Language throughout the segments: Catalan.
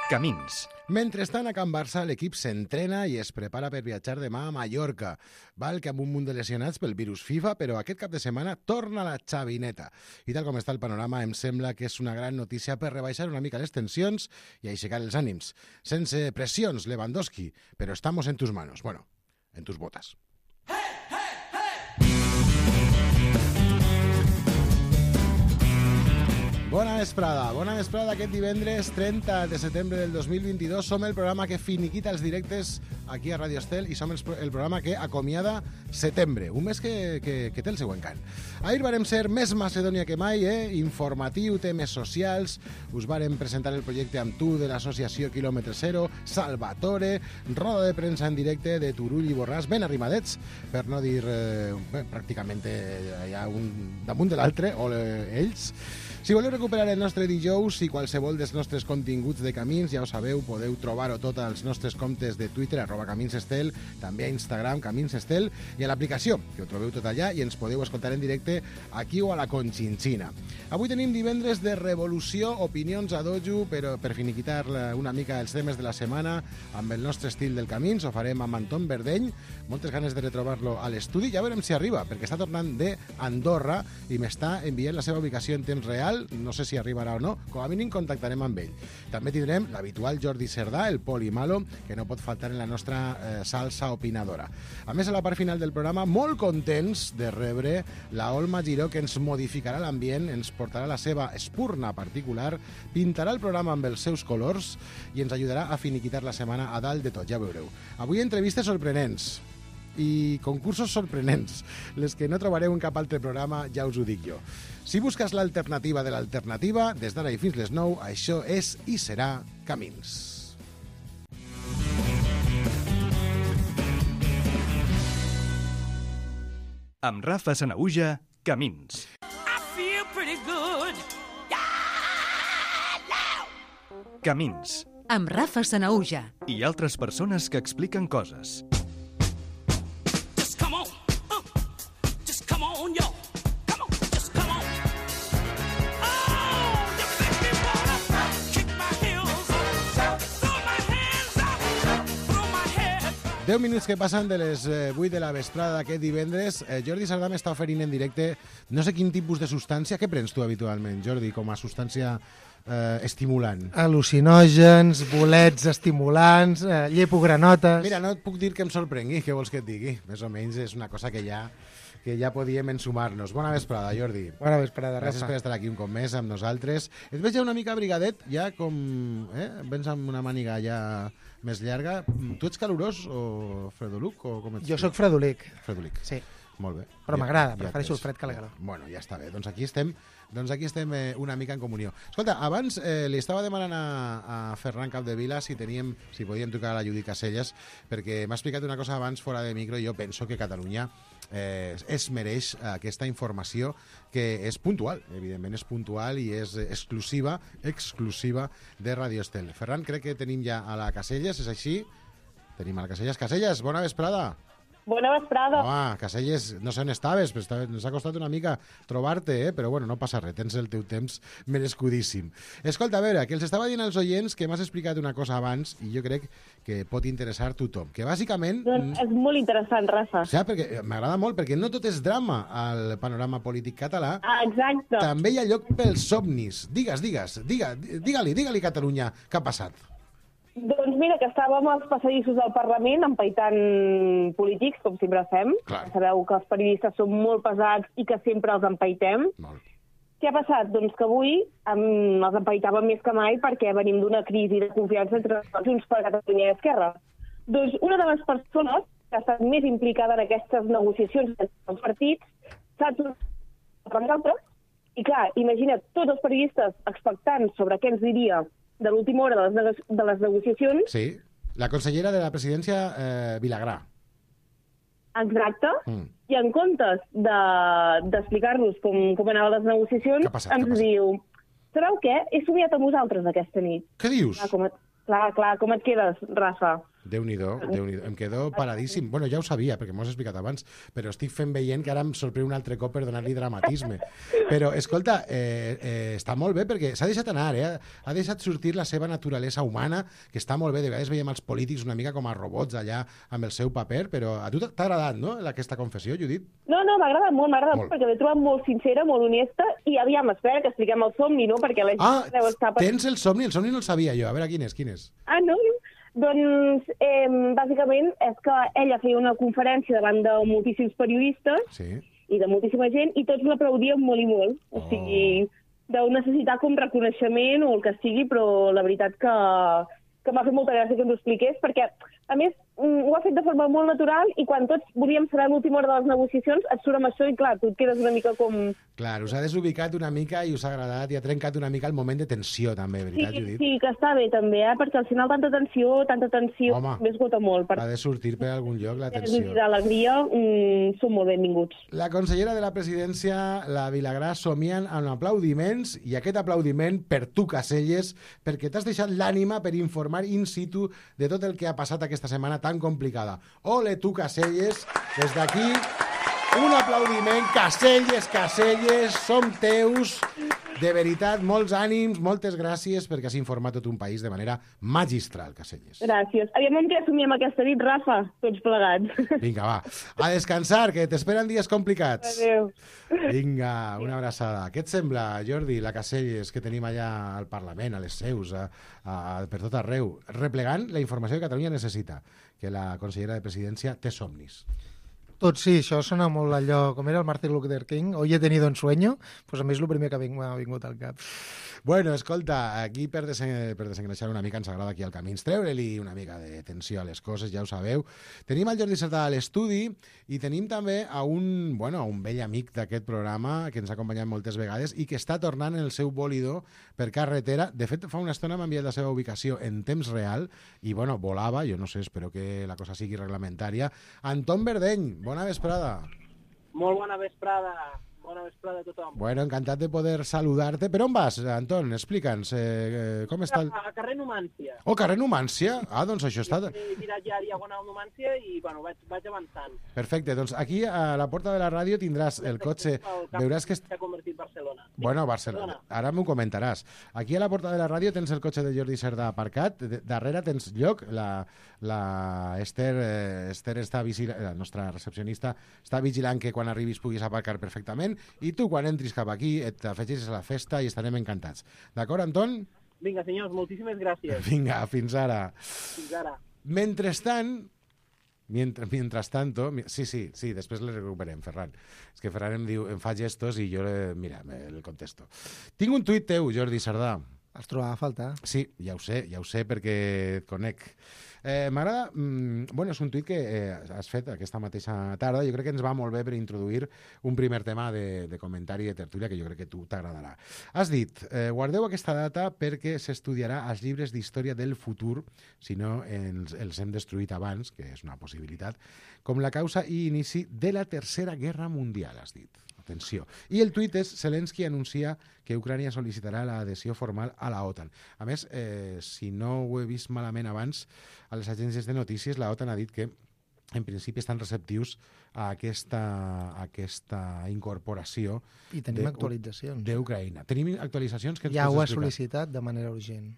Camins. Mentrestant, a Can Barça, l'equip s'entrena i es prepara per viatjar demà a Mallorca. Val que amb un munt de lesionats pel virus FIFA, però aquest cap de setmana torna la xavineta. I tal com està el panorama, em sembla que és una gran notícia per rebaixar una mica les tensions i aixecar els ànims. Sense pressions, Lewandowski, però estamos en tus manos. Bueno, en tus botas. Bona vesprada aquest divendres 30 de setembre del 2022. Som el programa que finiquita els directes aquí a Radio Estel i som el programa que acomiada setembre, un mes que té el seu encant. Ahir vàrem ser més Macedònia que mai, informatiu, temes socials, us vàrem presentar el projecte amb tu de l'associació Quilòmetre Zero, Salvatore, roda de premsa en directe de Turull i Borràs, ben arrimadets, per no dir pràcticament hi ha un damunt de l'altre, o ells. Si voleu recuperar el nostre dijous i qualsevol dels nostres continguts de Camins, ja ho sabeu, podeu trobar-ho tot als nostres comptes de Twitter, @CaminsEstel, també a Instagram, CaminsEstel, i a l'aplicació, que ho trobeu tot allà i ens podeu escoltar en directe aquí o a la Conchinchina. Avui tenim divendres de revolució, opinions a dojo, però per finiquitar una mica els temes de la setmana, amb el nostre estil del Camins, ho farem amb Anton Verdeny, moltes ganes de retrobar-lo a l'estudi, ja veurem si arriba, perquè està tornant d'Andorra i m'està enviant la seva ubicació en temps real. No sé si arribarà o no, com a mínim contactarem amb ell. També tindrem l'habitual Jordi Cerdà, el Poli Malo, que no pot faltar en la nostra salsa opinadora. A més, a la part final del programa, molt contents de rebre la Olma Giró, que ens modificarà l'ambient, ens portarà la seva espurna particular, pintarà el programa amb els seus colors i ens ajudarà a finiquitar la setmana a dalt de tot, ja veureu. Avui entrevistes sorprenents i concursos sorprenents, les que no trobareu en cap altre programa, ja us ho dic jo. Si busques l'alternativa de l'alternativa, des d'ara i fins les 9, això és i serà Camins. Amb Rafa Sanahuja, Camins. Camins. Amb Rafa Sanahuja. I altres persones que expliquen coses. Deu minuts que passen de les 8 de la vesprada aquest divendres. Jordi Cerdà m'està oferint en directe no sé quin tipus de substància. Què prens tu habitualment, Jordi, com a substància estimulant? Al·lucinògens, bolets estimulants, llepogranotes... Mira, no et puc dir que em sorprengui, què vols que et digui? Més o menys és una cosa que ja podíem ensumar-nos. Bona vesprada, Jordi. Bona vesprada, Rafa. Gràcies per estar aquí un cop més amb nosaltres. Et veig ja una mica abrigadet, ja com... Vens amb una màniga ja més llarga. Tu ets calorós o fredolic? O com ets? Jo sóc fredolic. Fredolic. Sí. Molt bé. Però m'agrada, prefereixo el fred que la calor. Bueno, ja està bé. Doncs aquí estem una mica en comunió. Escolta, abans li estava demanant a Ferran Capdevila si podíem trucar a la Judit Caselles, perquè m'ha explicat una cosa abans fora de micro i jo penso que Catalunya es mereix aquesta informació que és puntual, evidentment és puntual i és exclusiva de Radio Estel. Ferran, crec que tenim ja a la Caselles, és així? Tenim a la Caselles. Caselles, bona vesprada. Bona vesprada. Home, Caselles, no sé on estaves, però ens ha costat una mica trobar-te, però bueno, no passa res, tens el teu temps merescudíssim. Escolta, a veure, que els estava dient als oients que m'has explicat una cosa abans i jo crec que pot interessar tothom, que bàsicament... Doncs és molt interessant, Rafa. Ja, perquè m'agrada molt, perquè no tot és drama al panorama polític català. Ah, exacte. També hi ha lloc pels somnis. Digue-li, Catalunya, què ha passat? Doncs mira, que estàvem als passadissos del Parlament empaitant polítics, com sempre fem. Clar. Sabeu que els periodistes són molt pesats i que sempre els empaitem. Molt. Què ha passat? Doncs que avui els empaitàvem més que mai perquè venim d'una crisi de confiança entre Junts per Catalunya i Esquerra. Doncs una de les persones que ha estat més implicada en aquestes negociacions entre els partits s'ha tornat per nosaltres. I clar, imagina't tots els periodistes expectants sobre què ens diria de l'última hora de les negociacions. Sí, la consellera de la presidència, Vilagrà. Exacte. I en comptes d'explicar-nos com anaven les negociacions, ens diu, sabeu què? He somiat amb vosaltres aquesta nit. Què dius? Clar, com et quedes, Rafa? Déu-n'hi-do, Déu-n'hi-do. Em quedo paradíssim. Bueno, ja ho sabia, perquè m'ho has explicat abans, però estic veient que ara em sorprèn un altre cop per donar-li dramatisme. Però, escolta, està molt bé, perquè s'ha deixat anar, ha deixat sortir la seva naturalesa humana, que està molt bé. De vegades veiem els polítics una mica com a robots allà amb el seu paper, però a tu t'ha agradat, no?, aquesta confessió, Judit? No, m'ha agradat molt, perquè l'he trobat molt sincera, molt honesta, i aviam, espera que expliquem el somni, no?, perquè la gent deu estar... Tens el somni no el sabia jo. A veure, quin és? Ah, no? Doncs, bàsicament, és que ella feia una conferència davant de moltíssims periodistes i de moltíssima gent, i tots l'aplaudien molt i molt. O sigui, deu necessitar com reconeixement o el que sigui, però la veritat que m'ha fet molta gràcia que ens ho expliqués, perquè, a més, ho ha fet de forma molt natural i quan tots volíem saber l'última hora de les negociacions et surt amb això i, clar, tu et quedes una mica com... Clar, us ha desubicat una mica i us ha agradat i ha trencat una mica el moment de tensió, també, veritat, Judit? Sí, que està bé, també, perquè al final tanta tensió, m'esgota molt. Ha de sortir per algun lloc, la tensió. I d'alegria són molt benvinguts. La consellera de la presidència, la Vilagrà, somien amb aplaudiments, i aquest aplaudiment per tu, Caselles, perquè t'has deixat l'ànima per informar in situ de tot el que ha passat aquesta setmana tan complicada. Ole tu, Caselles, des d'aquí un aplaudiment. Caselles, som teus. De veritat, molts ànims, moltes gràcies perquè has informat tot un país de manera magistral, Caselles. Gràcies. Aviam amb què assumíem aquesta nit, Rafa, tots plegats. Vinga, va, a descansar, que t'esperen dies complicats. Adéu. Vinga, una abraçada. Què et sembla, Jordi, la Caselles que tenim allà al Parlament, a les seus, per tot arreu, replegant la informació que Catalunya necessita, que la consellera de Presidència té somnis? Tot sí, això sona molt allò, com era el Martin Luther King, hoy he tenido un sueño, pues a mi és el primer que m'ha vingut al cap. Bueno, escolta, aquí per desengreixar una mica ens agrada aquí al Camins treure-li una mica de tensió a les coses, ja ho sabeu. Tenim el Jordi Cerdà a l'estudi i tenim també a un vell amic d'aquest programa que ens ha acompanyat moltes vegades i que està tornant el seu bòlido per carretera. De fet, fa una estona m'ha enviat la seva ubicació en temps real i, volava, jo no sé, espero que la cosa sigui reglamentària. Anton Verdeny, bona vesprada. Molt bona vesprada. Bona vesprada a tothom. Bueno, encantat de poder saludar-te. Per on vas, Anton? Explica'ns. Com està el... A carrer Numància. Oh, carrer Numància? Ah, doncs això està... He mirat ja Diagonal Numància i, vaig avançant. Perfecte, doncs aquí a la porta de la ràdio tindràs el cotxe... Veuràs que... S'ha convertit Barcelona. Bueno, Barcelona. Ara m'ho comentaràs. Aquí a la porta de la ràdio tens el cotxe de Jordi Cerdà aparcat. Darrere tens lloc. La Esther està vigilant, la nostra recepcionista està vigilant que quan arribis puguis aparcar perfectament. I tu, quan entris cap aquí, et afegeixes a la festa i estarem encantats. D'acord, Anton? Vinga, senyors, moltíssimes gràcies. Vinga, fins ara. Fins ara. Mentrestant, mientras tanto... Sí, després le recuperem, Ferran. És que Ferran em fa gestos i jo, mira, el contesto. Tinc un tuit teu, Jordi Cerdà. Els trobava a faltar. Sí, ja ho sé perquè et conec. M'agrada... és un tuit que has fet aquesta mateixa tarda. Jo crec que ens va molt bé per introduir un primer tema de comentari de tertúlia que jo crec que tu t'agradarà. Has dit, guardeu aquesta data perquè s'estudiarà als llibres d'història del futur, si no els hem destruït abans, que és una possibilitat, com la causa i inici de la Tercera Guerra Mundial, has dit. Atenció. I el tuit és Zelensky anuncia que Ucrània sol·licitarà l'adhesió formal a la OTAN. A més, si no ho he vist malament abans, a les agències de notícies la OTAN ha dit que en principi estan receptius a aquesta incorporació i tenim actualitzacions d'Ucraïna. Tenim actualitzacions que ens ja ho ha explicar? sol·licitat de manera urgent.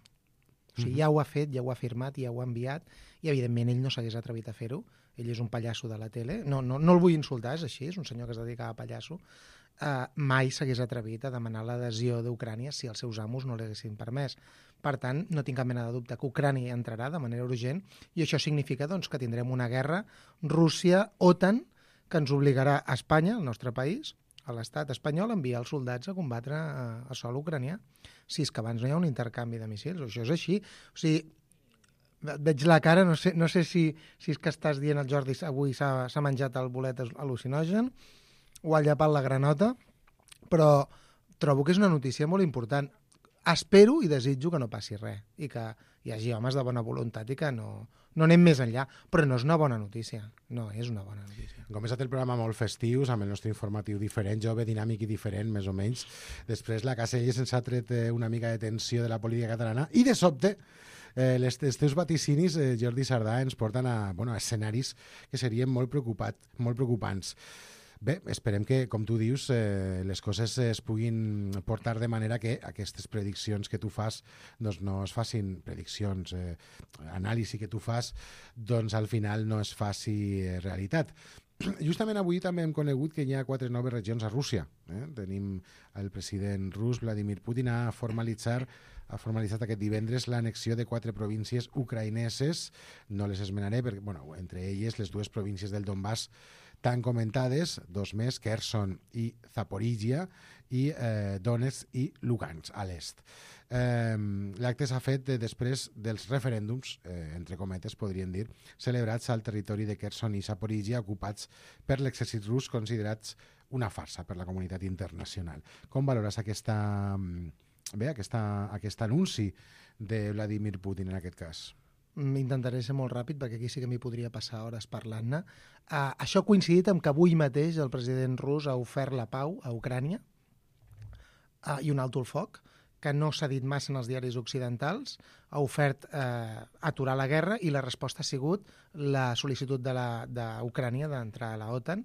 O sigui, ja ho ha fet, ja ho ha firmat, ja ho ha enviat i evidentment ell no s'hagués atrevit a fer-ho. Ell és un pallasso de la tele. No el vull insultar, és així, és un senyor que es dedica a pallasso. Mai s'hagués atrevit a demanar l'adhesió d'Ucrània si els seus amos no l'haguessin permès. Per tant, no tinc cap mena de dubte que Ucrània entrarà de manera urgent i això significa doncs, que tindrem una guerra Rússia-OTAN que ens obligarà a Espanya, el nostre país, a l'estat espanyol, a enviar els soldats a combatre a sòl ucranià. Si és que abans no hi ha un intercanvi de míssils, això és així. O sigui, veig la cara, no sé si és que estàs dient el Jordi avui s'ha menjat el bolet al·lucinogen o ha llepat la granota, però trobo que és una notícia molt important. Espero i desitjo que no passi res i que hi hagi homes de bona voluntat i que no anem més enllà, però no és una bona notícia. No és una bona notícia. Com és el programa molt festius, amb el nostre informatiu diferent, jove, dinàmic i diferent, més o menys. Després la Caselles ens ha tret una mica de tensió de la política catalana i de sobte els teus vaticinis, Jordi Sardà, ens porten a escenaris que serien molt preocupants. Bé, esperem que, com tu dius, les coses es puguin portar de manera que aquestes prediccions que tu fas doncs no es facin, prediccions, anàlisi que tu fas, doncs al final no es faci realitat. Justament avui també hem conegut que hi ha 4 noves regions a Rússia. Tenim el president rus, Vladimir Putin, ha formalitzat aquest divendres l'anexió de 4 províncies ucraïneses. No les esmenaré, perquè, entre elles les 2 províncies del Donbass tan comentades, 2 més, Kherson i Zaporizhia, i Donetsk i Lugansk, a l'est. L'acte s'ha fet després dels referèndums, entre cometes, podríem dir, celebrats al territori de Kherson i Zaporizhia, ocupats per l'exèrcit rus, considerats una farsa per la comunitat internacional. Com valores aquest anunci de Vladimir Putin en aquest cas? Intentaré ser molt ràpid perquè aquí sí que m'hi podria passar hores parlant-ne. Això ha coincidit amb que avui mateix el president rus ha ofert la pau a Ucrània i un alto el foc, que no s'ha dit massa en els diaris occidentals, ha ofert aturar la guerra i la resposta ha sigut la sol·licitud d'Ucrània d'entrar a la OTAN.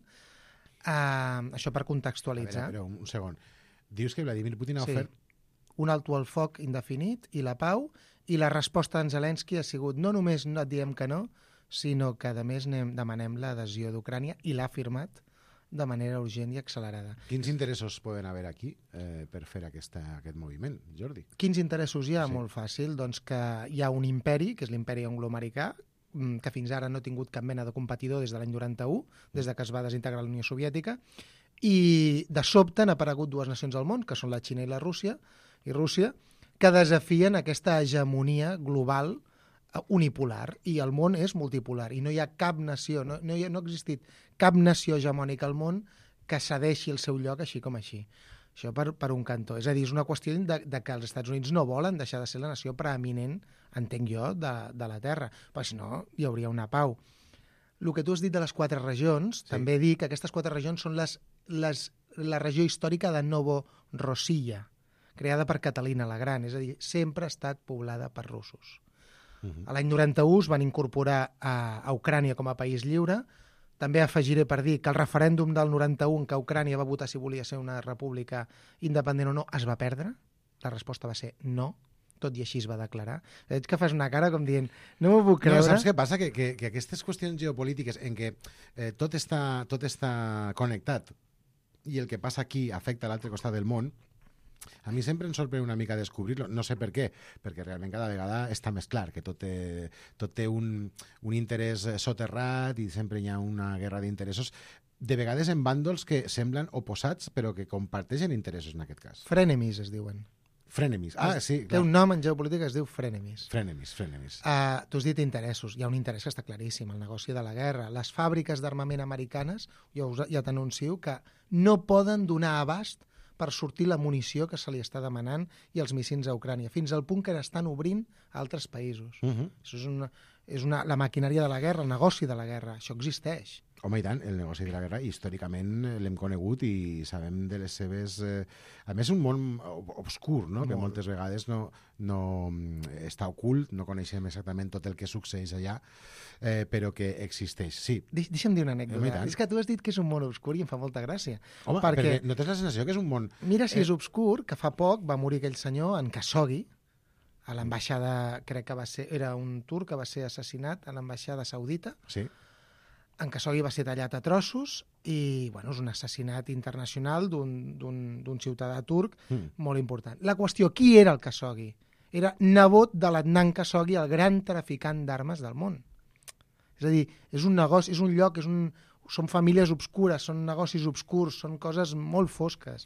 Això per contextualitzar. Però un segon. Dius que Vladimir Putin ha ofert... un alto al foc indefinit i la pau, i la resposta d'en Zelensky ha sigut no només no et diem que no, sinó que a més demanem l'adhesió d'Ucrània, i l'ha firmat de manera urgent i accelerada. Quins interessos poden haver aquí per fer aquest moviment, Jordi? Quins interessos hi ha? Sí. Molt fàcil. Doncs que hi ha un imperi, que és l'imperi angloamericà, que fins ara no ha tingut cap mena de competidor des de l'any 91, des de que es va desintegrar la Unió Soviètica, i de sobte han aparegut 2 nacions al món, que són la Xina i la Rússia, que desafien aquesta hegemonia global unipolar, i el món és multipolar, i no hi ha cap nació, no ha existit cap nació hegemònica al món que cedeixi el seu lloc així com així. Això per un cantó. És a dir, és una qüestió de que els Estats Units no volen deixar de ser la nació preeminent, entenc jo, de la Terra, però si no hi hauria una pau. El que tu has dit de les 4 regions, sí. També dic que aquestes 4 regions són la regió històrica de Novorossiya, creada per Catalina la Gran, és a dir, sempre ha estat poblada per russos. A l'any 91 es van incorporar a Ucrània com a país lliure. També afegiré per dir que el referèndum del 91, que Ucrània va votar si volia ser una república independent o no, es va perdre. La resposta va ser no, tot i així es va declarar. Veig que fas una cara com dient, no m'ho puc creure. No, saps què passa? Que aquestes qüestions geopolítiques en què tot està connectat i el que passa aquí afecta a l'altre costat del món, a mi sempre em sorprèn una mica descobrir-lo, no sé per què, perquè realment cada vegada està més clar que tot té un interès soterrat i sempre hi ha una guerra d'interessos, de vegades en bàndols que semblen oposats però que comparteixen interessos en aquest cas. Frenemies es diuen. Frenemies, sí, clar. Té un nom en geopolítica que es diu frenemies. Frenemies. Tu has dit interessos, hi ha un interès que està claríssim, el negoci de la guerra. Les fàbriques d'armament americanes, ja t'anuncio, que no poden donar abast per sortir la munició que se li està demanant i els missils a Ucrània, fins al punt que n'estan obrint a altres països. Això és la maquinària de la guerra, el negoci de la guerra, això existeix. Home, i tant, el negoci de la guerra històricament l'hem conegut i sabem de les seves... A més, un món obscur, no? Que moltes vegades no està ocult, no coneixem exactament tot el que succeeix allà, però que existeix, sí. Deixa'm dir una anècdota. És que tu has dit que és un món obscur i em fa molta gràcia. Home, perquè no tens la sensació que és un món... Mira si és obscur, que fa poc va morir aquell senyor en Khashoggi, a l'ambaixada, crec que va ser... Era un turc que va ser assassinat a l'ambaixada saudita. Sí. En Khashoggi va ser tallat a trossos i és un assassinat internacional d'un ciutadà turc molt important. La qüestió, qui era el Khashoggi? Era nebot de l'Adnan Khashoggi, el gran traficant d'armes del món. És a dir, és un negoci, és un lloc, són famílies obscures, són negocis obscurs, són coses molt fosques.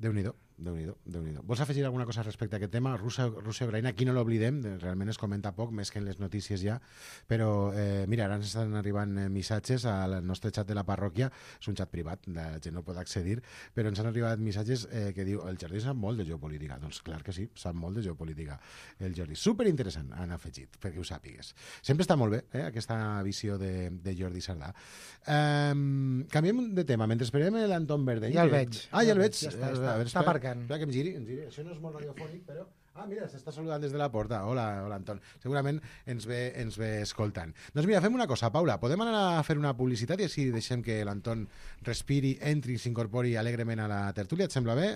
Déu-n'hi-do. Vols afegir alguna cosa respecte a aquest tema? Rússia-Ucraïna, aquí no l'oblidem, realment es comenta poc, més que en les notícies ja, però mira, ara ens estan arribant missatges al nostre xat de la parròquia, és un xat privat, la gent no pot accedir, però ens han arribat missatges que diu, el Jordi sap molt de geopolítica. Doncs clar que sí, sap molt de geopolítica. El Jordi, superinteressant, han afegit, perquè ho sàpigues. Sempre està molt bé, aquesta visió de Jordi Sardà. Canviem de tema, mentre esperem l'Anton Verdell. Ja el veig. Ja el veig. Ja està aparcant. Espera que em giri. Això no és molt radiofònic, però Ah, mira, s'està saludant des de la porta. Hola, Anton. Segurament ens ve escoltant. Doncs mira, fem una cosa, Paula. Podem anar a fer una publicitat i així deixem que l'Anton respiri, entri i s'incorpori alegrement a la tertúlia. Et sembla bé?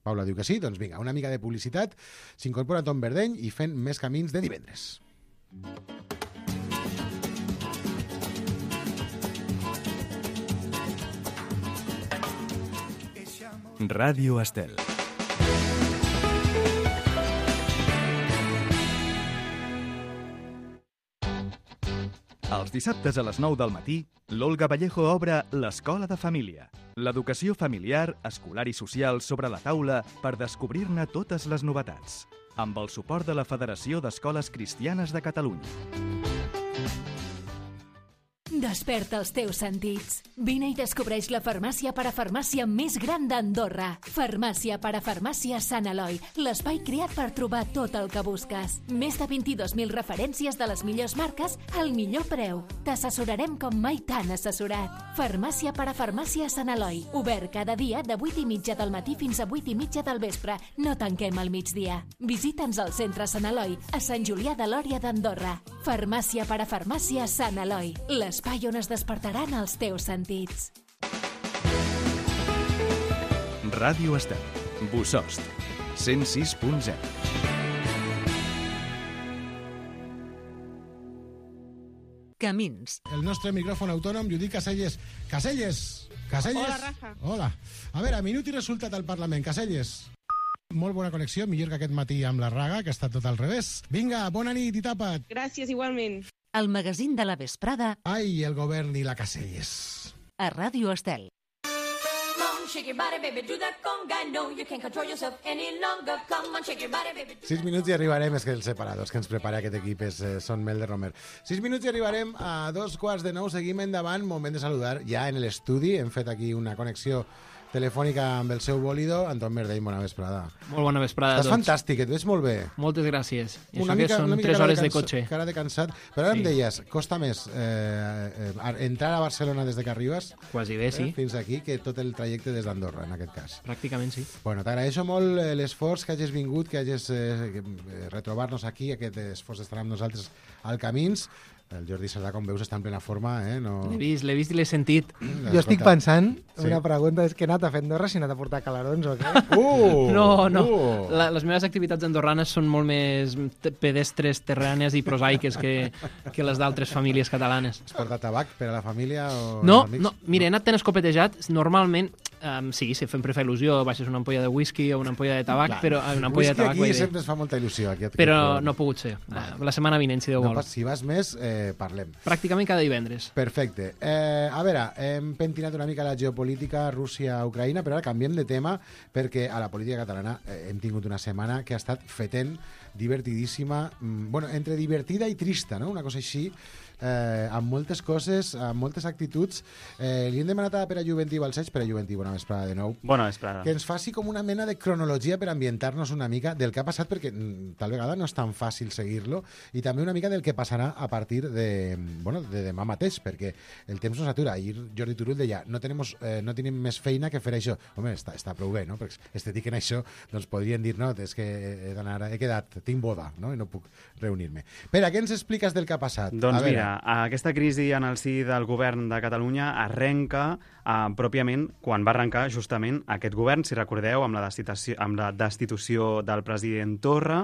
Paula diu que sí. Doncs vinga, una mica de publicitat. S'incorpora Tom Verdeny i fent més camins de divendres. Ràdio Estel. Els dissabtes a les 9 del matí, l'Olga Vallejo obre l'Escola de Família. L'educació familiar, escolar i social sobre la taula per descobrir-ne totes les novetats. Amb el suport de la Federació d'Escoles Cristianes de Catalunya. Desperta els teus sentits. Vine i descobreix la farmàcia parafarmàcia més gran d'Andorra. Farmàcia parafarmàcia Sant Eloi, l'espai creat per trobar tot el que busques. Més de 22.000 referències de les millors marques al millor preu. T'assessorarem com mai t'han assessorat. Farmàcia parafarmàcia Sant Eloi, obert cada dia de 8:30 del matí fins a 8:30 del vespre. No tanquem al migdia. Visita'ns al centre Sant Eloi, a Sant Julià de Lòria d'Andorra. Farmàcia parafarmàcia Sant Eloi, l'espai on es despertaran els teus sentits. Ràdio Estel. Bosost. 106.0. Camins. El nostre micròfon autònom, Judit Caselles. Caselles! Hola, Rafa. Hola. A veure, minut i resultat al Parlament. Caselles. Molt bona connexió, millor que aquest matí amb la Raga, que ha estat tot al revés. Vinga, bona nit i tapa't. Gràcies, igualment. El magazín de la vesprada Ai, el govern i la Caselles. a Ràdio Estel. Shake your body, baby, do that conga. No, you can't control yourself any longer. Come on, shake your body, baby. 6 minuts i arribarem, és que els separadors que ens prepara aquest equip són Mel de Romer. 6 minuts i arribarem a 2:15. Seguim endavant, moment de saludar ja en l'estudi. Hem fet aquí una connexió telefònica amb el seu bòlido. Anton Verdeny, bona vesprada. Molt bona vesprada a Estàs tots. fantàstic, et veig molt bé. Moltes gràcies. I això que són 3 hores de cotxe. Cara de cansat. Però ara Sí. em deies, costa més entrar a Barcelona des de que arribes Quasi bé, sí. fins aquí que tot el trajecte des d'Andorra, en aquest cas. Pràcticament sí. Bueno, t'agraeixo molt l'esforç que hagis vingut, que hagis retrobar-nos aquí, aquest esforç d'estar amb nosaltres al Camins. El Jordi Cerdà, com veus, està en plena forma, no... L'he vist i l'he sentit. Jo estic pensant, Sí. una pregunta, és que he anat a fer Andorra si he anat a portar calarons o què? No. Les meves activitats andorranes són molt més pedestres, terranes i prosaiques que les d'altres famílies catalanes. Has portat tabac per a la família o No, els amics? no, mira, he anat tan escopetejat. Normalment, sí, sempre fa il·lusió, baixes una ampolla de whisky o una ampolla de tabac, Clar. però una ampolla de Whisky tabac... aquí vull dir, sempre es fa molta il·lusió. Aquí però no ha pogut ser. La setmana vinent, si Déu no, vol. si vas més, parlem. Pràcticament cada divendres. Perfecte. A veure, hem pentinat una mica la geopolítica Rússia-Ucraïna, però ara canviem de tema perquè a la política catalana hem tingut una setmana que ha estat fetent, divertidíssima, bueno, entre divertida i trista, no? Una cosa així, amb moltes coses, amb moltes actituds. Li hem demanat a Pere Juventí Balcells, Pere Juventí, bona vesprada de nou, Bona vesprada. que ens faci com una mena de cronologia per ambientar-nos una mica del que ha passat, perquè tal vegada no és tan fàcil seguir-lo, i també una mica del que passarà a partir de demà mateix, perquè el temps no s'atura. Ahir Jordi Turull deia, no tenim més feina que fer això. Home, està prou bé, no? Perquè estètic en això, doncs podrien dir, no, és que he quedat, tinc boda, no? I no puc reunir-me. Pere, què ens expliques del que ha passat? Doncs mira, aquesta crisi en el si del govern de Catalunya arrenca pròpiament quan va arrencar justament aquest govern, si recordeu, amb la destitució del president Torra.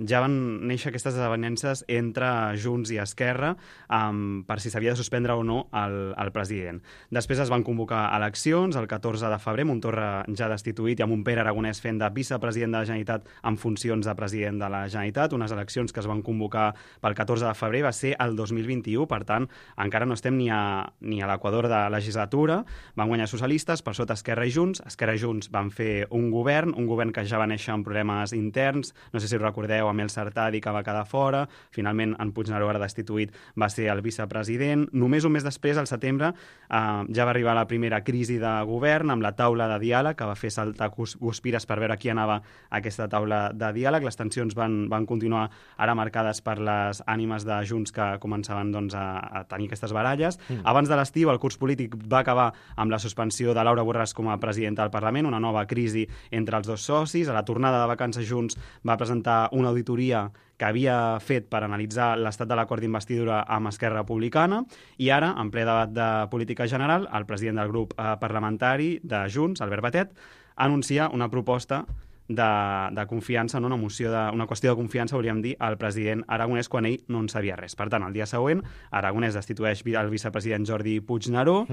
Ja van néixer aquestes desavenences entre Junts i Esquerra per si s'havia de suspendre o no el president. Després es van convocar eleccions el 14 de febrer, amb un Torra ja destituït i amb un Pere Aragonès fent de vicepresident de la Generalitat en funcions de president de la Generalitat, unes eleccions que es van convocar pel 14 de febrer, va ser el 2021, per tant, encara no estem ni a l'equador de legislatura. Van guanyar socialistes, per sota Esquerra i Junts. Esquerra i Junts van fer un govern que ja va néixer amb problemes interns, no sé si recordeu, amb el Sartadi que va quedar fora, finalment en Puigneró, ara destituït, va ser el vicepresident. Només un mes després, al setembre, ja va arribar la primera crisi de govern amb la taula de diàleg, que va fer saltar guspires per veure qui anava a aquesta taula de diàleg. Les tensions van van continuar ara marcades per les ànimes de Junts que començaven doncs, a tenir aquestes baralles. Abans de l'estiu, el curs polític va acabar amb la suspensió de Laura Borràs com a presidenta del Parlament, una nova crisi entre els dos socis. A la tornada de vacances, Junts va presentar una auditoria que havia fet per analitzar l'estat de l'acord d'investidura amb Esquerra Republicana, i ara, en ple debat de política general, el president del grup parlamentari de Junts, Albert Batet, anuncia una proposta de confiança, no? Una qüestió de confiança, hauríem dir, al president Aragonès quan ell no en sabia res. Per tant, el dia següent, Aragonès destitueix el vicepresident Jordi Puigneró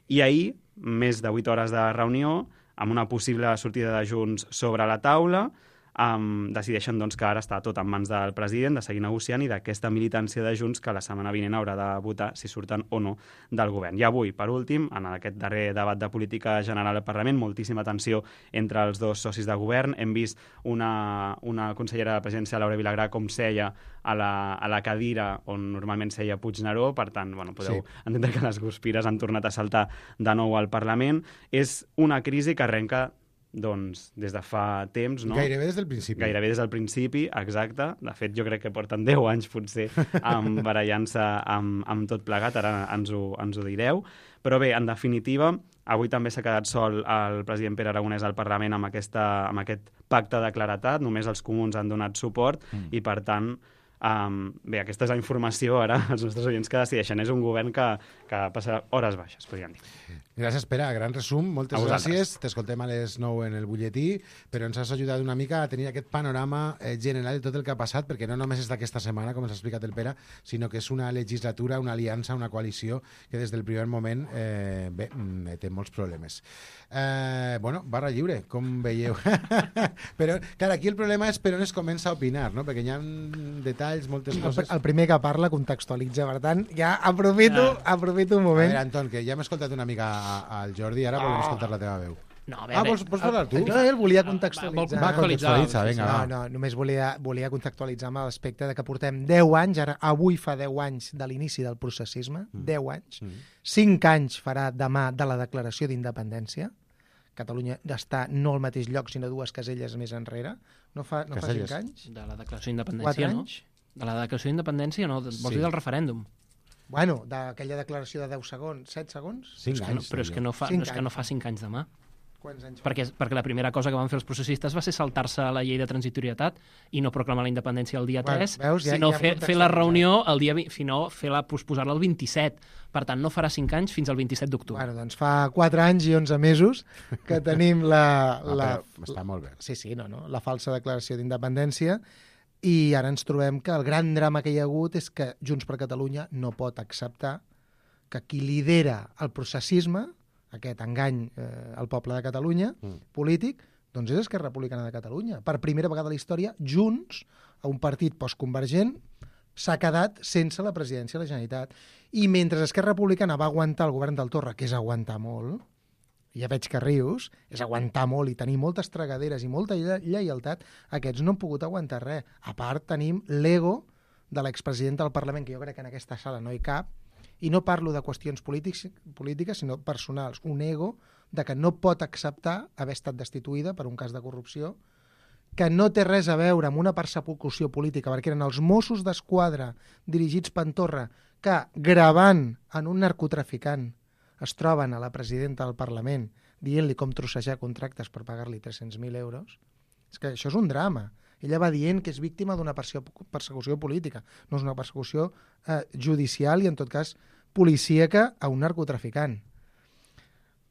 i ahir, més de 8 hores de reunió, amb una possible sortida de Junts sobre la taula, decideixen doncs, que ara està tot en mans del president, de seguir negociant, i d'aquesta militància de Junts que la setmana vinent haurà de votar si surten o no del govern. I avui, per últim, en aquest darrer debat de política general al Parlament, moltíssima tensió entre els dos socis de govern. Hem vist una consellera de la presidència, Laura Vilagrà, com seia a la cadira on normalment seia Puigneró. Per tant, podeu entendre que les guspires han tornat a saltar de nou al Parlament. És una crisi que arrenca des de fa temps, no? Gairebé des del principi. Gairebé des del principi, exacte. De fet, jo crec que porten 10 anys, potser, barallant-se amb tot plegat. Ara ens ho direu. Però bé, en definitiva, avui també s'ha quedat sol el president Pere Aragonès al Parlament amb aquest pacte de claretat. Només els comuns han donat suport i, per tant, bé, aquesta és la informació ara als nostres oients que decideixen. És un govern que passa hores baixes, podríem dir. Gràcies, Pere. Gran resum. Moltes gràcies. T'escoltem a les 9 en el butlletí, però ens has ajudat una mica a tenir aquest panorama general de tot el que ha passat, perquè no només és d'aquesta setmana, com ens ha explicat el Pere, sinó que és una legislatura, una aliança, una coalició que des del primer moment té molts problemes. Barra lliure, com veieu. Però, clar, aquí el problema és per on es comença a opinar, no? Perquè hi ha detalls, moltes coses... El primer que parla contextualitza, per tant, ja aprofito un moment. A veure, Anton, que ja hem escoltat una mica al Jordi, ara volem escoltar la teva veu. No, a veure, vols parlar tu? No, ell volia contextualitzar. Va contextualitzar, vinga, va. No, només volia contextualitzar amb l'aspecte de que portem 10 anys, avui fa 10 anys de l'inici del processisme, 10 anys, 5 anys farà demà de la declaració d'independència. Catalunya està no al mateix lloc, sinó 2 caselles més enrere. No fa 5 anys? De la declaració d'independència, no? De la declaració d'independència, no? Vols dir del referèndum? Bueno, d'aquella declaració de 10 segons, 7 segons? 5 anys. Però és que no fa 5 anys demà. Quants anys? Perquè la primera cosa que van fer els processistes va ser saltar-se la llei de transitorietat i no proclamar la independència el dia 3, sinó fer la reunió el dia 20, sinó posposar-la el 27. Per tant, no farà 5 anys fins al 27 d'octubre. Bueno, doncs fa 4 anys i 11 mesos que tenim està molt bé. Sí, la falsa declaració d'independència. I ara ens trobem que el gran drama que hi ha hagut és que Junts per Catalunya no pot acceptar que qui lidera el processisme, aquest engany al poble de Catalunya, polític, doncs és Esquerra Republicana de Catalunya. Per primera vegada a la història, Junts, a un partit postconvergent, s'ha quedat sense la presidència de la Generalitat. I mentre Esquerra Republicana va aguantar el govern del Torra, que és aguantar molt, ja veig que rius, és aguantar molt i tenir moltes tragaderes i molta lleialtat, aquests no han pogut aguantar res. A part, tenim l'ego de l'expresident del Parlament, que jo crec que en aquesta sala no hi cap, i no parlo de qüestions polítiques, sinó personals. Un ego de que no pot acceptar haver estat destituïda per un cas de corrupció, que no té res a veure amb una persecució política, perquè eren els Mossos d'Esquadra dirigits per Torra que, gravant en un narcotraficant, es troben a la presidenta del Parlament dient-li com trossejar contractes per pagar-li 300.000 euros. És que això és un drama. Ella va dient que és víctima d'una persecució política. No és una persecució judicial i, en tot cas, policíaca a un narcotraficant.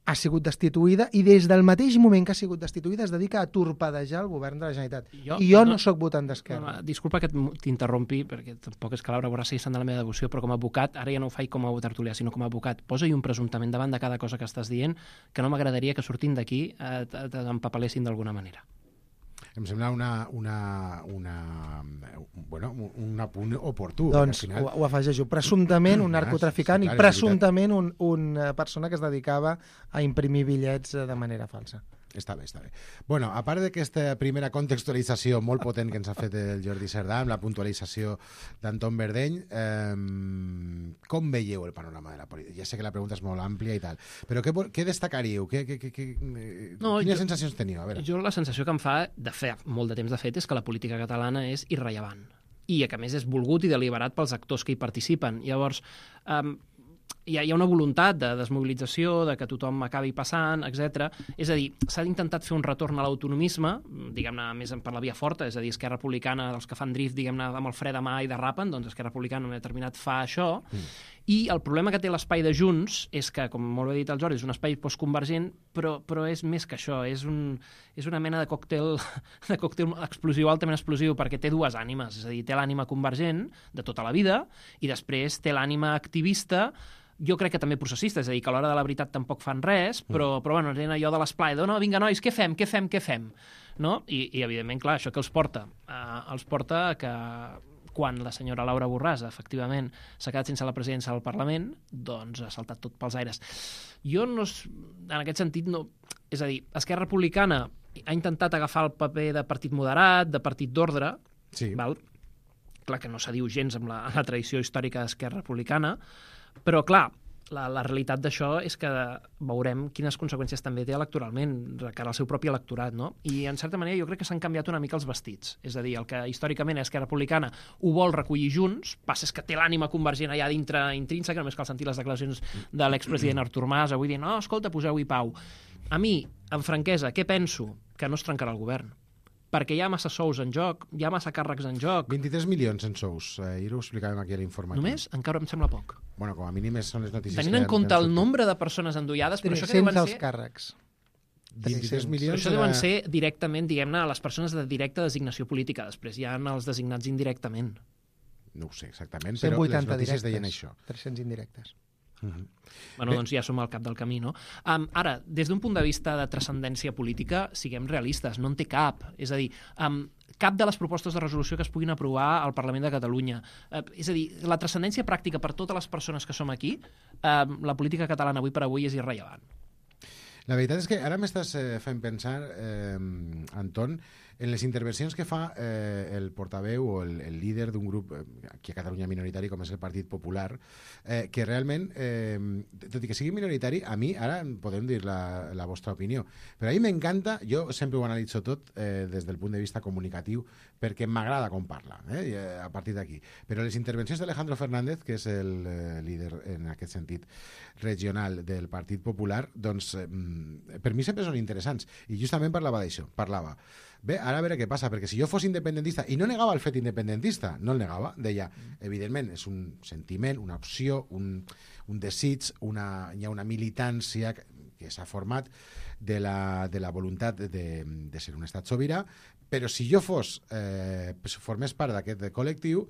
Ha sigut destituïda i des del mateix moment que ha sigut destituïda es dedica a torpedejar el govern de la Generalitat. Jo no sóc votant d'Esquerra. Disculpa que t'interrompi, perquè tampoc és que Laura Borràs sigui sant de la meva devoció, però com a advocat, ara ja no ho faig com a tertulià, sinó com a advocat, posa-hi un presumptament davant de cada cosa que estàs dient, que no m'agradaria que sortint d'aquí t'empapalessin d'alguna manera. Em sembla un apunt oportú. Doncs ho afegeixo. Presumptament un narcotraficant i presumptament una persona que es dedicava a imprimir bitllets de manera falsa. Està bé. Bueno, a part d'aquesta primera contextualització molt potent que ens ha fet el Jordi Cerdà, amb la puntualització d'Anton Verdeny, com veieu el panorama de la política? Ja sé que la pregunta és molt àmplia i tal, però què destacaríeu? Quines sensacions teniu? A veure. Jo la sensació que em fa, de fet, molt de temps de fet, és que la política catalana és irrellevant i que a més és volgut i deliberat pels actors que hi participen. Llavors, hi ha una voluntat de desmobilització, de que tothom acabi passant, etc. És a dir, s'ha intentat fer un retorn a l'autonomisme, diguem-ne, més per la via forta, és a dir, Esquerra Republicana, els que fan drift, diguem-ne, amb el fre de mà i derrapen, doncs Esquerra Republicana en un determinat fa això, i el problema que té l'espai de Junts és que, com molt bé dit el Jordi, és un espai postconvergent, però és més que això, és una mena de còctel explosiu, altament explosiu, perquè té dues ànimes, és a dir, té l'ànima convergent de tota la vida i després té l'ànima activista, jo crec que també processista, és a dir, que a l'hora de la veritat tampoc fan res, però bueno, tenen allò de l'esplai, no, vinga, nois, què fem? No? I evidentment, clar, això que els porta? Els porta que quan la senyora Laura Borràs, efectivament, s'ha quedat sense la presidència del Parlament, doncs ha saltat tot pels aires. Jo, en aquest sentit, no... És a dir, Esquerra Republicana ha intentat agafar el paper de partit moderat, de partit d'ordre, val? Clar que no s'adiu gens amb la tradició històrica d'Esquerra Republicana, però, clar, la realitat d'això és que veurem quines conseqüències també té electoralment, de cara al seu propi electorat, no? I, en certa manera, jo crec que s'han canviat una mica els vestits. És a dir, el que històricament Esquerra Republicana ho vol recollir Junts, passa és que té l'ànima convergent allà dintre intrínseca, només cal sentir les declaracions de l'expresident Artur Mas, avui dient, no, escolta, poseu-hi pau. A mi, amb franquesa, què penso? Que no es trencarà el govern. Perquè hi ha massa sous en joc, hi ha massa càrrecs en joc. 23 milions en sous, ahir ho explicàvem aquí a l'informatiu. Només? Encara em sembla poc. Bueno, com a mínim són les notícies... Tenint en compte el nombre de persones endollades... 300 els càrrecs. 23 milions... Això deuen ser directament, diguem-ne, les persones de directa designació política. Després hi ha els designats indirectament. No ho sé exactament, però les notícies directes, deien això. 300 indirectes. Bueno, doncs ja som al cap del camí, no? Ara, des d'un punt de vista de transcendència política, siguem realistes, no en té cap. És a dir, cap de les propostes de resolució que es puguin aprovar al Parlament de Catalunya. És a dir, la transcendència pràctica per totes les persones que som aquí, la política catalana avui per avui és irrellevant. La veritat és que ara m'estàs fent pensar, Anton, en les intervencions que fa el portaveu o el líder d'un grup aquí a Catalunya minoritari com és el Partit Popular, que realment, tot i que sigui minoritari, a mi, ara podem dir la vostra opinió, però a mi m'encanta, jo sempre ho analitzo tot des del punt de vista comunicatiu, perquè m'agrada com parla, a partir d'aquí. Però les intervencions d'Alejandro Fernández, que és el líder en aquest sentit regional del Partit Popular, doncs per mi sempre són interessants. I justament parlava d'això, bé, ara a veure què passa, perquè si jo fos independentista, i no negava el fet independentista, no el negava, deia, evidentment, és un sentiment, una opció, un desig, hi ha una militància que s'ha format de la voluntat de ser un estat sobirà, però si jo formés part d'aquest col·lectiu,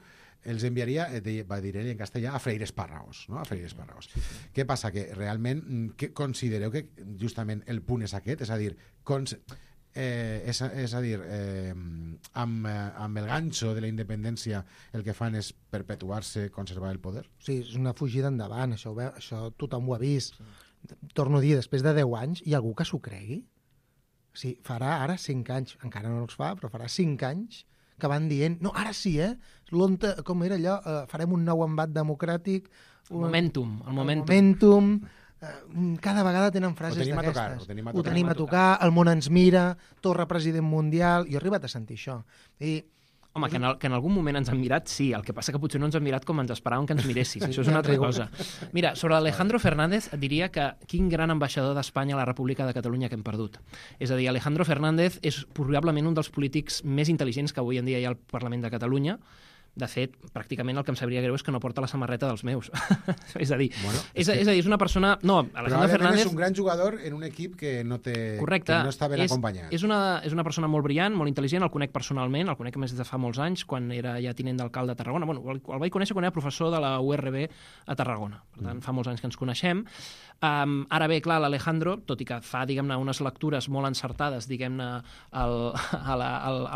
els enviaria, va dir ell en castellà, a freír espárragos, no? A freír espárragos. Què passa? Que realment considereu que justament el punt és aquest, és a dir, amb el ganxo de la independència el que fan és perpetuar-se, conservar el poder? Sí, és una fugida endavant, això tothom ho ha vist. Torno a dir, després de 10 anys, hi ha algú que s'ho cregui? Sí, farà ara 5 anys, encara no els fa, però farà 5 anys que van dient, no, ara sí, com era allò, farem un nou embat democràtic... El momentum. Cada vegada tenen frases d'aquestes. Ho tenim a tocar, el món ens mira, Torra president mundial... Jo he arribat a sentir això. Home, que en algun moment ens han mirat, sí. El que passa que potser no ens han mirat com ens esperàvem que ens miressin. Això és una altra cosa. Mira, sobre Alejandro Fernández et diria que quin gran ambaixador d'Espanya a la República de Catalunya que hem perdut. És a dir, Alejandro Fernández és probablement un dels polítics més intel·ligents que avui en dia hi ha al Parlament de Catalunya. De fet, pràcticament el que em sabria greu és que no porta la samarreta dels meus. És a dir, és una persona... No, Alejandro Fernández... és un gran jugador en un equip que no està ben acompanyat. És una persona molt brillant, molt intel·ligent, el conec personalment, el conec més des de fa molts anys, quan era ja tinent d'alcalde de Tarragona. Bueno, el vaig conèixer quan era professor de la URB a Tarragona. Per tant, fa molts anys que ens coneixem. Ara bé, clar, l'Alejandro, tot i que fa, diguem-ne, unes lectures molt encertades, diguem-ne, a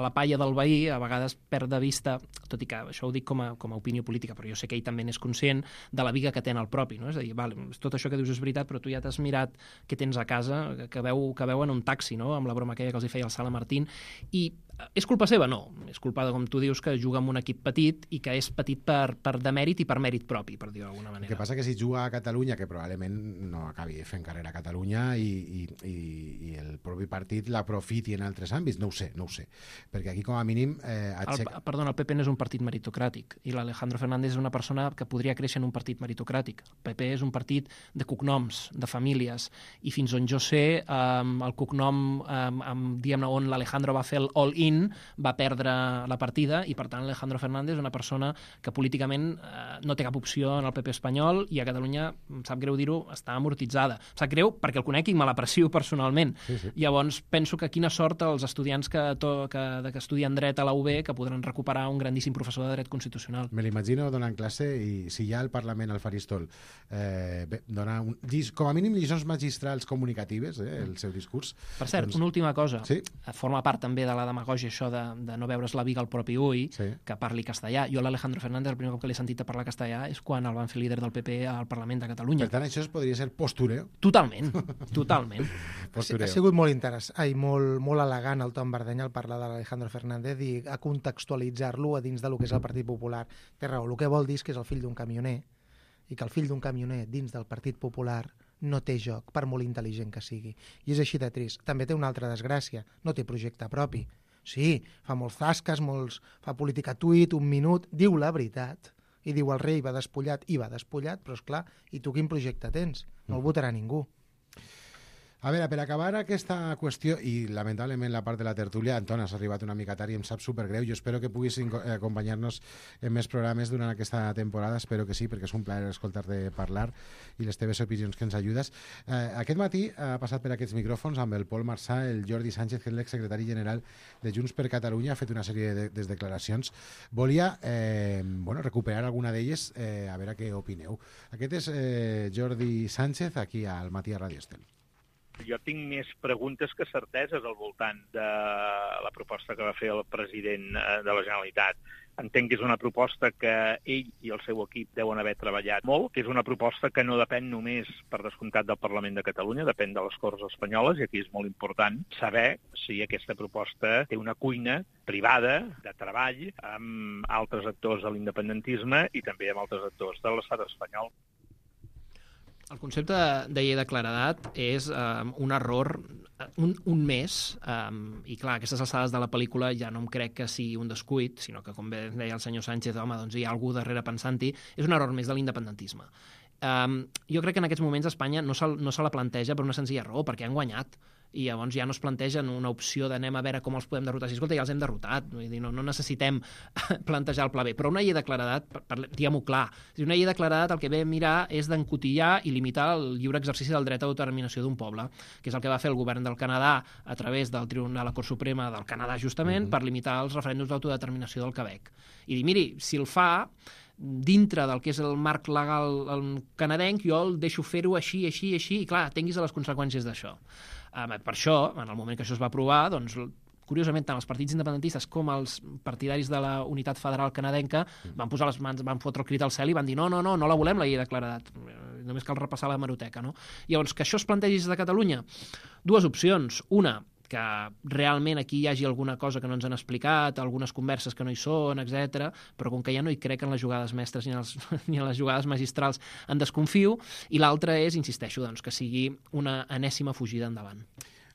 la palla del veí, a vegades perd de vista, tot i que això ho dic com a opinió política, però jo sé que ell també n'és conscient de la viga que té en el propi, no? És a dir, tot això que dius és veritat, però tu ja t'has mirat què tens a casa, que veu en un taxi, no? Amb la broma aquella que els hi feia el Sala Martín, i és culpa seva? No. És culpa, com tu dius, que juga amb un equip petit i que és petit per demèrit i per mèrit propi, per dir-ho d'alguna manera. El que passa que si juga a Catalunya, que probablement no acabi fent carrera a Catalunya i el propi partit l'aprofiti en altres àmbits, no ho sé. Perquè aquí, com a mínim... Perdona, el PP no és un partit meritocràtic i l'Alejandro Fernández és una persona que podria créixer en un partit meritocràtic. El PP és un partit de cognoms, de famílies, i fins on jo sé, el cognom, diguem-ne, on l'Alejandro va fer el all-in, va perdre la partida i, per tant, Alejandro Fernández és una persona que políticament no té cap opció en el PP espanyol i a Catalunya, em sap greu dir-ho, està amortitzada. Em sap greu perquè el conec i me l'aprecio personalment. Sí. Llavors, penso que quina sort els estudiants que estudien dret a la UB que podran recuperar un grandíssim professor de dret constitucional. Me l'imagino donant classe i si hi ha al Parlament al faristol dona com a mínim lliçons magistrals comunicatives, el seu discurs. Per cert, una última cosa. Sí? Forma part també de la demagògia això de no veure's la viga al propi ull, que parli castellà. Jo l'Alejandro Fernández, el primer cop que l'he sentit a parlar castellà és quan el van fer líder del PP al Parlament de Catalunya. Per tant, això podria ser postureo? Totalment. Postureo. Ha sigut molt interessant, molt elegant el Tom Bardeny al parlar de l'Alejandro Fernández i a contextualitzar-lo a dins del que és el Partit Popular. Té raó, el que vol dir és que és el fill d'un camioner i que el fill d'un camioner dins del Partit Popular no té joc, per molt intel·ligent que sigui. I és així de trist. També té una altra desgràcia, no té projecte propi. Sí, fa molts zasques, fa política tuit, un minut, diu la veritat, i diu el rei va despullat, però esclar, i tu quin projecte tens? No el votarà ningú. A veure, per acabar aquesta qüestió, i lamentablement la part de la tertúlia, Anton, has arribat una mica tard i em sap supergreu. Jo espero que puguis acompanyar-nos en més programes durant aquesta temporada, espero que sí, perquè és un plaer escoltar-te parlar i les teves opinions que ens ajudes. Aquest matí ha passat per aquests micròfons amb el Pol Marsà, el Jordi Sánchez, que és l'exsecretari general de Junts per Catalunya, ha fet una sèrie de declaracions. Volia recuperar alguna d'elles, a veure què opineu. Aquest és Jordi Sánchez, aquí al Matí a Radio Estel. Jo tinc més preguntes que certeses al voltant de la proposta que va fer el president de la Generalitat. Entenc que és una proposta que ell i el seu equip deuen haver treballat molt, que és una proposta que no depèn només, per descomptat, del Parlament de Catalunya, depèn de les Corts Espanyoles, i aquí és molt important saber si aquesta proposta té una cuina privada de treball amb altres actors de l'independentisme i també amb altres actors de l'estat espanyol. El concepte de llei de claredat és un error, un més, i clar, aquestes alçades de la pel·lícula ja no em crec que sigui un descuit, sinó que, com bé deia el senyor Sánchez, home, doncs hi ha algú darrere pensant-hi, és un error més de l'independentisme. Jo crec que en aquests moments Espanya no se la planteja per una senzilla raó, perquè han guanyat, i llavors ja no es plantegen una opció d'anem a veure com els podem derrotar. Si escolta, ja els hem derrotat, vull dir, no necessitem plantejar el pla B, però una llei de claredat, diguem-ho clar, una llei de claredat el que ve a mirar és d'encotillar i limitar el lliure exercici del dret a autodeterminació d'un poble, que és el que va fer el govern del Canadà a través del Tribunal de la Cort Suprema del Canadà, justament, per limitar els referèndums d'autodeterminació del Quebec. I dir, miri, si el fa dintre del que és el marc legal canadenc, jo el deixo fer-ho així, i clar, tinguis les conseqüències d'això. Per això, en el moment que això es va aprovar, doncs, curiosament, tant els partits independentistes com els partidaris de la unitat federal canadenca van posar les mans, van fotre el crit al cel i van dir no la volem, la llei de claredat. Només cal repassar la hemeroteca, no? Llavors, que això es plantegi des de Catalunya, dues opcions. Una, que realment aquí hi hagi alguna cosa que no ens han explicat, algunes converses que no hi són, etc. Però com que ja no hi crec en les jugades mestres ni en les jugades magistrals en desconfio, i l'altra és, insisteixo, doncs, que sigui una enèsima fugida endavant.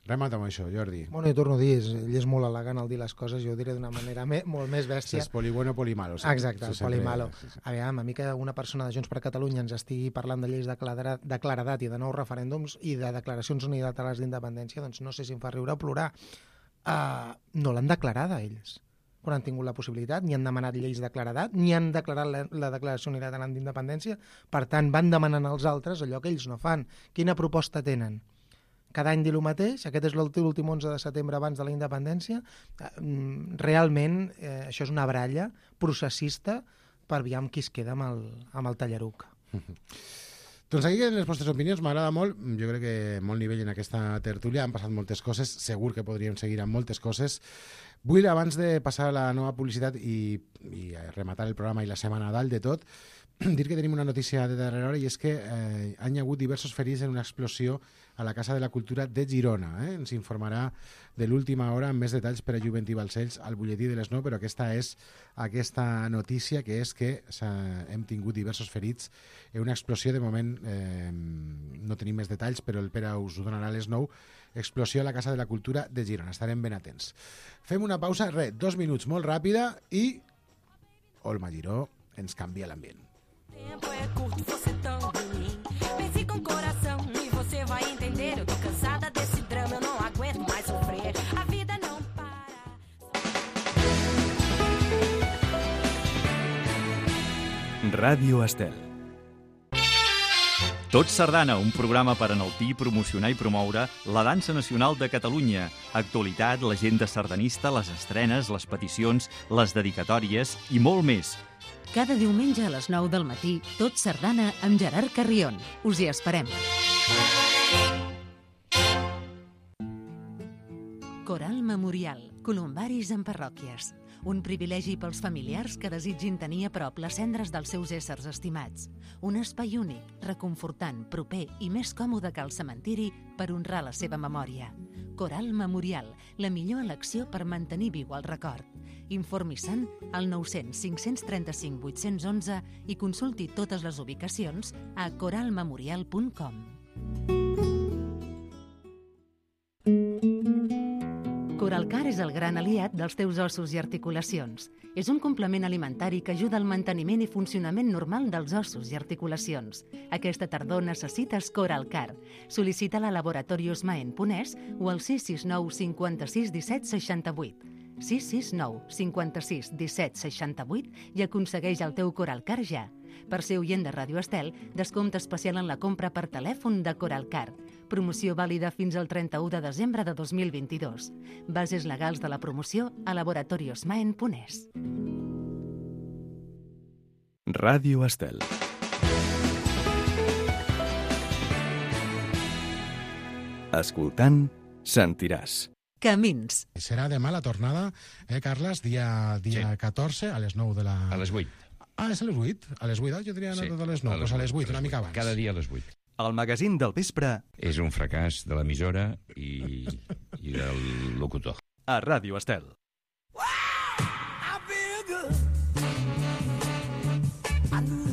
Remata amb això, Jordi. Bueno, jo torno a dir, ell és molt elegant al dir les coses, jo ho diré d'una manera molt més bèstia. És poli bueno, poli malo. Exacte, poli malo. A mi que una persona de Junts per Catalunya ens estigui parlant de lleis de claredat i de nous referèndums i de declaracions unilaterals d'independència, doncs no sé si em fa riure o plorar. No l'han declarada ells. Quan han tingut la possibilitat, ni han demanat lleis de claredat, ni han declarat la declaració unilateral d'independència, per tant van demanant als altres allò que ells no fan. Quina proposta tenen? Cada any dir el mateix, aquest és l'últim 11 de setembre abans de la independència, realment això és una baralla processista per aviam qui es queda amb el tallaruc. Doncs aquí en les vostres opinions m'agrada molt, jo crec que molt nivell en aquesta tertúlia, han passat moltes coses, segur que podríem seguir amb moltes coses. Vull, abans de passar a la nova publicitat i rematar el programa i la setmana dalt de tot, dir que tenim una notícia de darrera hora i és que han hagut diversos ferits en una explosió a la Casa de la Cultura de Girona. Ens informarà de l'última hora amb més detalls per a Joventí Balcells al butlletí de les 9, però aquesta és aquesta notícia, que és que hem tingut diversos ferits en una explosió. De moment no tenim més detalls, però el Pere us ho donarà a les 9. Explosió a la Casa de la Cultura de Girona. Estarem ben atents. Fem una pausa, 2 minuts molt ràpida i Olma Giró ens canvia l'ambient. Tempo é curto, você tão ruim. Pense com coração e você vai entender. Eu tô cansada desse drama, eu não aguento mais sofrer. A vida não para. Ràdio Estel. Tot Sardana, un programa per enaltir, promocionar i promoure la dansa nacional de Catalunya. Actualitat, l'agenda sardanista, les estrenes, les peticions, les dedicatòries i molt més. Cada diumenge a les 9 del matí, Tot Sardana amb Gerard Carrion. Us hi esperem. Coral Memorial, columbaris en parròquies. Un privilegi pels familiars que desitgin tenir a prop les cendres dels seus éssers estimats. Un espai únic, reconfortant, proper i més còmode que el cementiri per honrar la seva memòria. Coral Memorial, la millor elecció per mantenir viu el record. Informi-se'n al 900 535 811 i consulti totes les ubicacions a coralmemorial.com. Coralcar és el gran aliat dels teus ossos i articulacions. És un complement alimentari que ajuda al manteniment i funcionament normal dels ossos i articulacions. Aquesta tardor necessites Coralcar. Sol·licita-la a Laboratorios Maen Ponès o al 669 56 17 68. 669 56 17 68 i aconsegueix el teu Coralcar ja. Per ser oient de Ràdio Estel, descompte especial en la compra per telèfon de Coralcar. Promoció vàlida fins al 31 de desembre de 2022. Bases legals de la promoció a Laboratorios Maen Ponès. Ràdio Estel. Escoltant, sentiràs. Camins. Serà demà la tornada, Carles, dia 14, a les 9 de la... A les 8. Ah, és a les 8? A les 8, jo tenia anat a les 9, doncs a les 8, una mica abans. Cada dia a les 8. El magazín del vespre... És un fracàs de l'emissora i del locutor. A Ràdio Estel.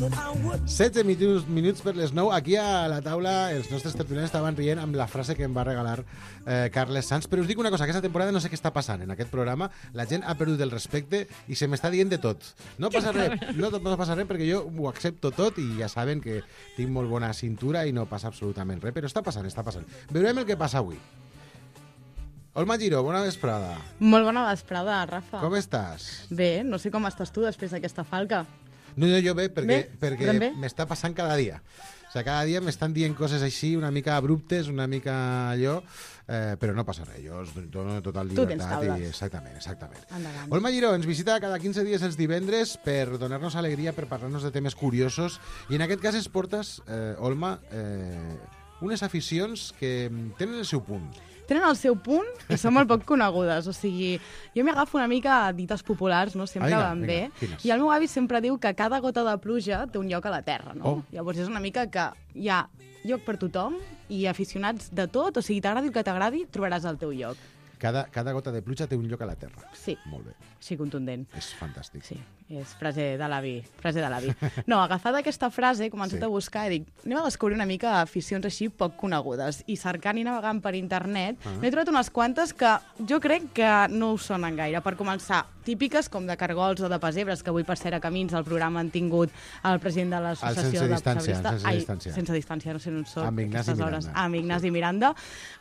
16 minuts per les 9. Aquí a la taula els nostres tertulians estaven rient amb la frase que em va regalar Carles Sanz, però us dic una cosa, aquesta temporada no sé què està passant en aquest programa, la gent ha perdut el respecte i se m'està dient de tot. No passa res perquè jo ho accepto tot i ja saben que tinc molt bona cintura i no passa absolutament res, però està passant. Veurem el que passa avui. Olma Giró, bona vesprada. Molt bona vesprada, Rafa. Com estàs? Bé, no sé com estàs tu després d'aquesta falca. No, jo bé, perquè m'està passant cada dia. O sigui, cada dia m'estan dient coses així, una mica abruptes, una mica allò, però no passa res. Jo us dono total llibertat. Tu tens taules. Exactament. Endavant. Olma Giró ens visita cada 15 dies els divendres per donar-nos alegria, per parlar-nos de temes curiosos. I en aquest cas es portes, Olma, unes aficions que tenen el seu punt. Tenen el seu punt i són molt poc conegudes. O sigui, jo m'agafo una mica a dites populars, no? Sempre van bé. I el meu avi sempre diu que cada gota de pluja té un lloc a la terra, no? Llavors és una mica que hi ha lloc per tothom i aficionats de tot. O sigui, t'agradi el que t'agradi, trobaràs el teu lloc. Cada gota de pluja té un lloc a la terra. Sí. Molt bé. Sí, contundent. És fantàstic. Sí, és frase de l'avi. No, agafada aquesta frase, he començat a buscar i dic, anem a descobrir una mica aficions així poc conegudes. I cercant i navegant per internet, n'he trobat unes quantes que jo crec que no us sonen gaire. Per començar, típiques com de cargols o de pessebres, que avui per ser a Camins al programa han tingut el president de l'associació de pessebrista. Sense distància, no sé on són. Amb Ignasi Miranda.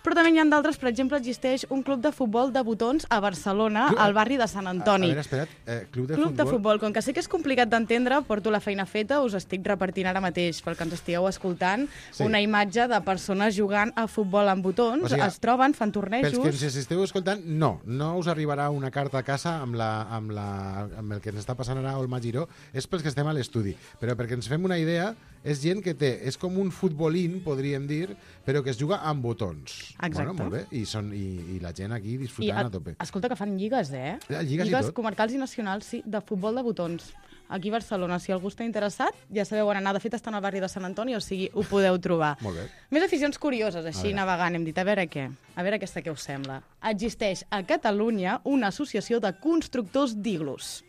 Però també n'hi ha d'altres, per exemple, existeix un club de futbol de botons a Barcelona, al barri de Sant Antoni. A veure, espera't, club de futbol. Com que sé que és complicat d'entendre, porto la feina feta, us estic repartint ara mateix, pel que ens estigueu escoltant, una imatge de persones jugant a futbol amb botons, o sigui, es troben, fan tornejos... Pels que ens esteu escoltant, no us arribarà una carta a casa amb el que ens està passant ara a Olma Giró, és pels que estem a l'estudi, però perquè ens fem una idea, és gent que té... És com un futbolín, podríem dir, però que es juga amb botons. Exacte. Bueno, molt bé. I la gent aquí disfrutant a tope. Escolta, que fan lligues, eh? Lligues comarcals i nacionals, sí, de futbol de botons. Aquí a Barcelona, si algú està interessat, ja sabeu on anar. De fet, estan al barri de Sant Antoni, o sigui, ho podeu trobar. Molt bé. Més aficions curioses, així navegant. Hem dit, a veure què? A veure aquesta què us sembla. Existeix a Catalunya una associació de constructors d'iglus.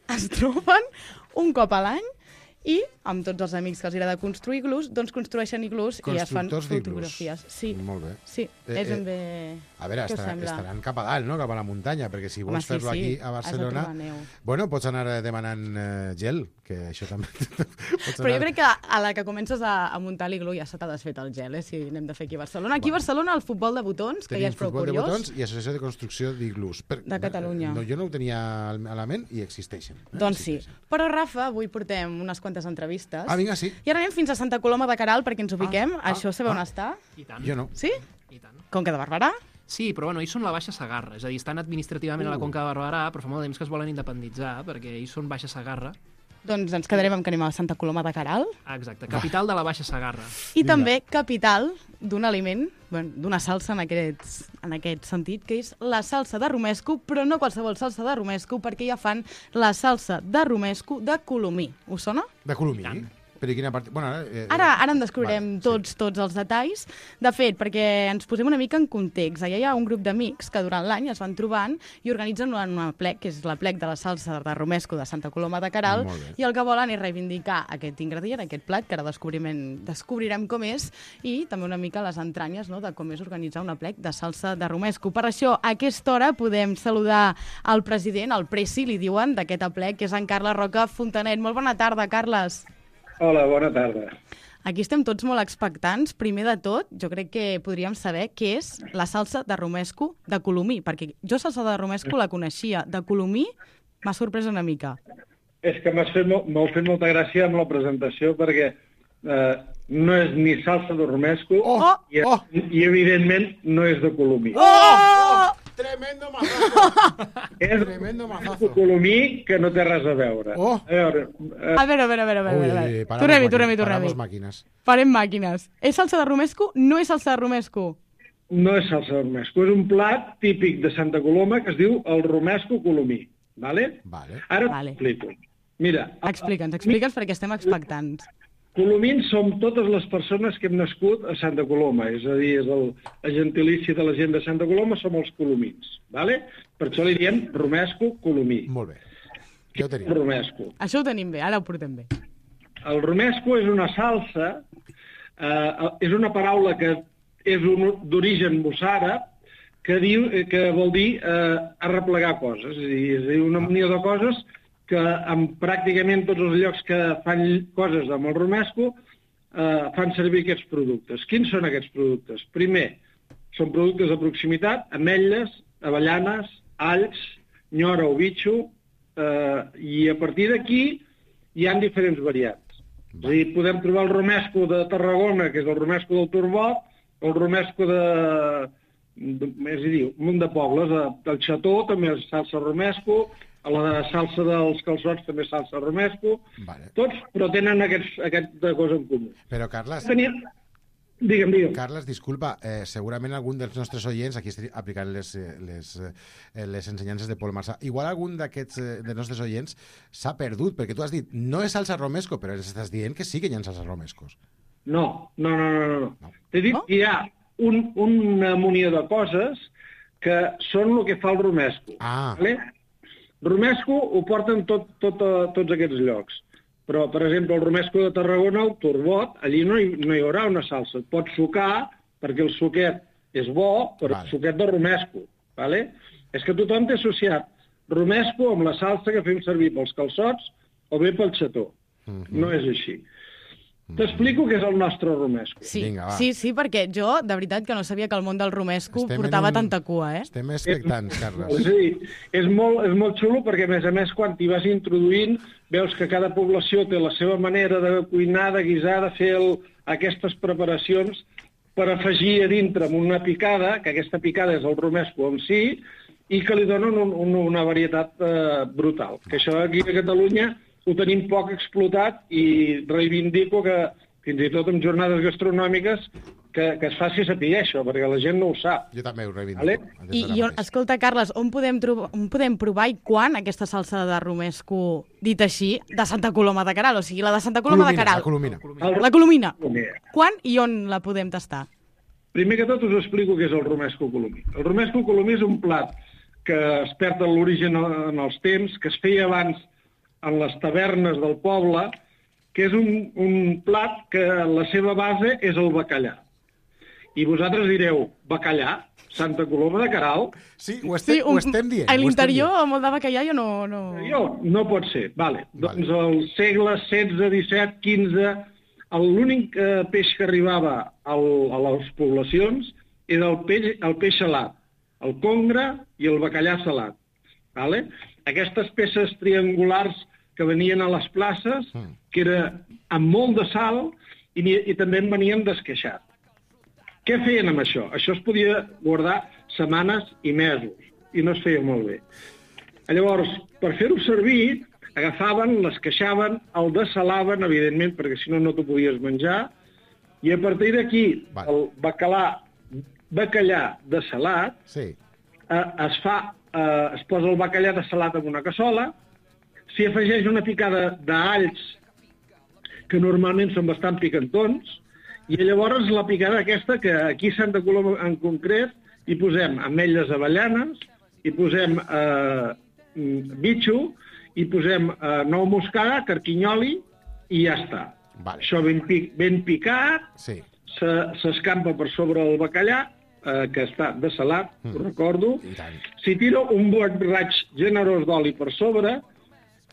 Es troben un cop a l'any i, amb tots els amics que els agrada construir iglús, doncs construeixen iglús i es fan fotografies. Sí. Molt bé. Sí, és ben bé... A veure, estaran cap a dalt, no? Cap a la muntanya, perquè si vols fer-lo aquí a Barcelona... Bueno, pots anar demanant gel, que això també... Però jo crec que a la que comences a muntar l'iglú ja se t'ha desfet el gel, si anem de fer aquí a Barcelona. Aquí a Barcelona el futbol de botons, que ja és prou curiós. Tenim futbol de botons i associació de construcció d'iglús. De Catalunya. Jo no ho tenia a la ment i existeixen. Doncs sí. Però, Rafa, avui portem unes quantes entrevistes. Vinga, sí. I ara anem fins a Santa Coloma de Queralt perquè ens ubiquem. Això sabeu on està? I tant. Jo no. Sí? I tant. Conca de Barberà? Sí, però bueno, ells són la Baixa Segarra, és a dir, estan administrativament a la Conca de Barberà, però fa molt de temps que es volen independitzar, perquè ells són Baixa Segarra. Doncs ens quedarem amb que anem a Santa Coloma de Queralt. Exacte, capital de la Baixa Segarra. I també capital d'un aliment, d'una salsa en aquest sentit, que és la salsa de romesco, però no qualsevol salsa de romesco, perquè ja fan la salsa de romesco de Colomí. Us sona? De Colomí? Però i quina part... Bueno, ara en descobrirem tots els detalls. De fet, perquè ens posem una mica en context. Allà hi ha un grup d'amics que durant l'any es van trobant i organitzen una plec, que és la plec de la salsa de romesco de Santa Coloma de Queralt, i el que volen és reivindicar aquest ingredient, aquest plat, que ara descobrirem com és, i també una mica les entranyes, no?, de com és organitzar una plec de salsa de romesco. Per això, a aquesta hora podem saludar el president, el presi, li diuen, d'aquest plec, que és en Carles Roca Fontanet. Molt bona tarda, Carles. Hola, bona tarda. Aquí estem tots molt expectants. Primer de tot, jo crec que podríem saber què és la salsa de romesco de Colomí, perquè jo salsa de romesco la coneixia. De Colomí m'ha sorprès una mica. És que m'ha fet molta gràcia amb la presentació, perquè no és ni salsa de romesco i evidentment, no és de Colomí. Tremendo mazazo. Tremendo mazazo. Colomí que no té res a veure. A veure. Tornem-hi. Farem màquines. És salsa de romesco? No és salsa de romesco? No és salsa de romesco. És un plat típic de Santa Coloma que es diu el romesco colomí. Vale? Ara t'explico. Mira... Explica'ns perquè estem expectants. Colomins som totes les persones que hem nascut a Santa Coloma, és a dir, és el gentilici de la gent de Santa Coloma, som els colomins, ¿vale? Per això li diem romesco colomí. Molt bé. Què ho tenim? Romesco. Això ho tenim bé, ara ho portem bé. El romesco és una salsa, és una paraula que és d'origen mossàrab, que vol dir arreplegar coses, és a dir, una unió de coses que en pràcticament tots els llocs que fan coses amb el romesco fan servir aquests productes. Quins són aquests productes? Primer, són productes de proximitat, ametlles, avellanes, alls, nyora o bitxo, i a partir d'aquí hi ha diferents variants. És a dir, podem trobar el romesco de Tarragona, que és el romesco del turbot, el romesco és a dir, un munt de pobles, del Xató també és salsa romesco, a la salsa dels calçots també és salsa romesco, tots, però tenen aquesta cosa en comú. Però, Carles... Digue'm. Carles, disculpa, segurament algun dels nostres oients, aquí estic aplicant les ensenyances de Pol Marsà, igual algun d'aquests dels nostres oients s'ha perdut, perquè tu has dit, no és salsa romesco, però estàs dient que sí que hi ha salsa romescos. No. T'he dit que hi ha una munió de coses que són el que fa el romesco. Vale? Romesco ho porten tots aquests llocs. Però, per exemple, el romesco de Tarragona, el turbot, allí no hi haurà una salsa. Et pots sucar, perquè el suquet és bo, però el suquet de romesco. Vale? És que tothom té associat romesco amb la salsa que fem servir pels calçots o bé pel xató. No és així. T'explico què és el nostre romesco. Sí, perquè jo, de veritat, que no sabia que el món del romesco portava tanta cua, Estem expectants, Carles. És a dir, és molt xulo perquè, a més, quan t'hi vas introduint, veus que cada població té la seva manera de cuinar, de guisar, de fer aquestes preparacions per afegir a dintre amb una picada, que aquesta picada és el romesco en si, i que li donen una varietat brutal. Que això aquí a Catalunya ho tenim poc explotat i reivindico que fins i tot en jornades gastronòmiques que es faci saber això, perquè la gent no ho sap. Jo també ho reivindico. I escolta, Carles, on podem provar i quan aquesta salsa de romesco, dit així, de Santa Coloma de Queralt? O sigui, la de Santa Coloma de Queralt. La Colomina. Quan i on la podem tastar? Primer que tot us explico què és el romesco colomí. El romesco colomí és un plat que es perd en l'origen en els temps, que es feia abans en les tavernes del poble, que és un plat que la seva base és el bacallà. I vosaltres direu, bacallà? Santa Coloma de Queralt? Sí, ho estem dient. A l'interior, molt de bacallà, jo no... No pot ser, vale. Doncs al segle XVI, XVII, XV, l'únic peix que arribava a les poblacions era el peix salat, el congre i el bacallà salat. Vale? Aquestes peces triangulars que venien a les places, que era amb molt de sal i també en venien d'esqueixat. Què feien amb això? Això es podia guardar setmanes i mesos, i no es feia molt bé. Llavors, per fer-ho servir, agafaven, l'esqueixaven, el dessalaven, evidentment, perquè si no, no t'ho podies menjar, i a partir d'aquí, el bacallà dessalat, es posa el bacallà dessalat en una cassola, s'hi afegeix una picada d'alls, que normalment són bastant picantons, i llavors la picada aquesta, que aquí a Santa Coloma en concret, hi posem ametlles avellanes, hi posem bitxo, hi posem nou moscada, carquinyoli, i ja està. Això ben picat, s'escampa per sobre el bacallà, que està dessalat, ho recordo. S'hi tira un bon raig generós d'oli per sobre.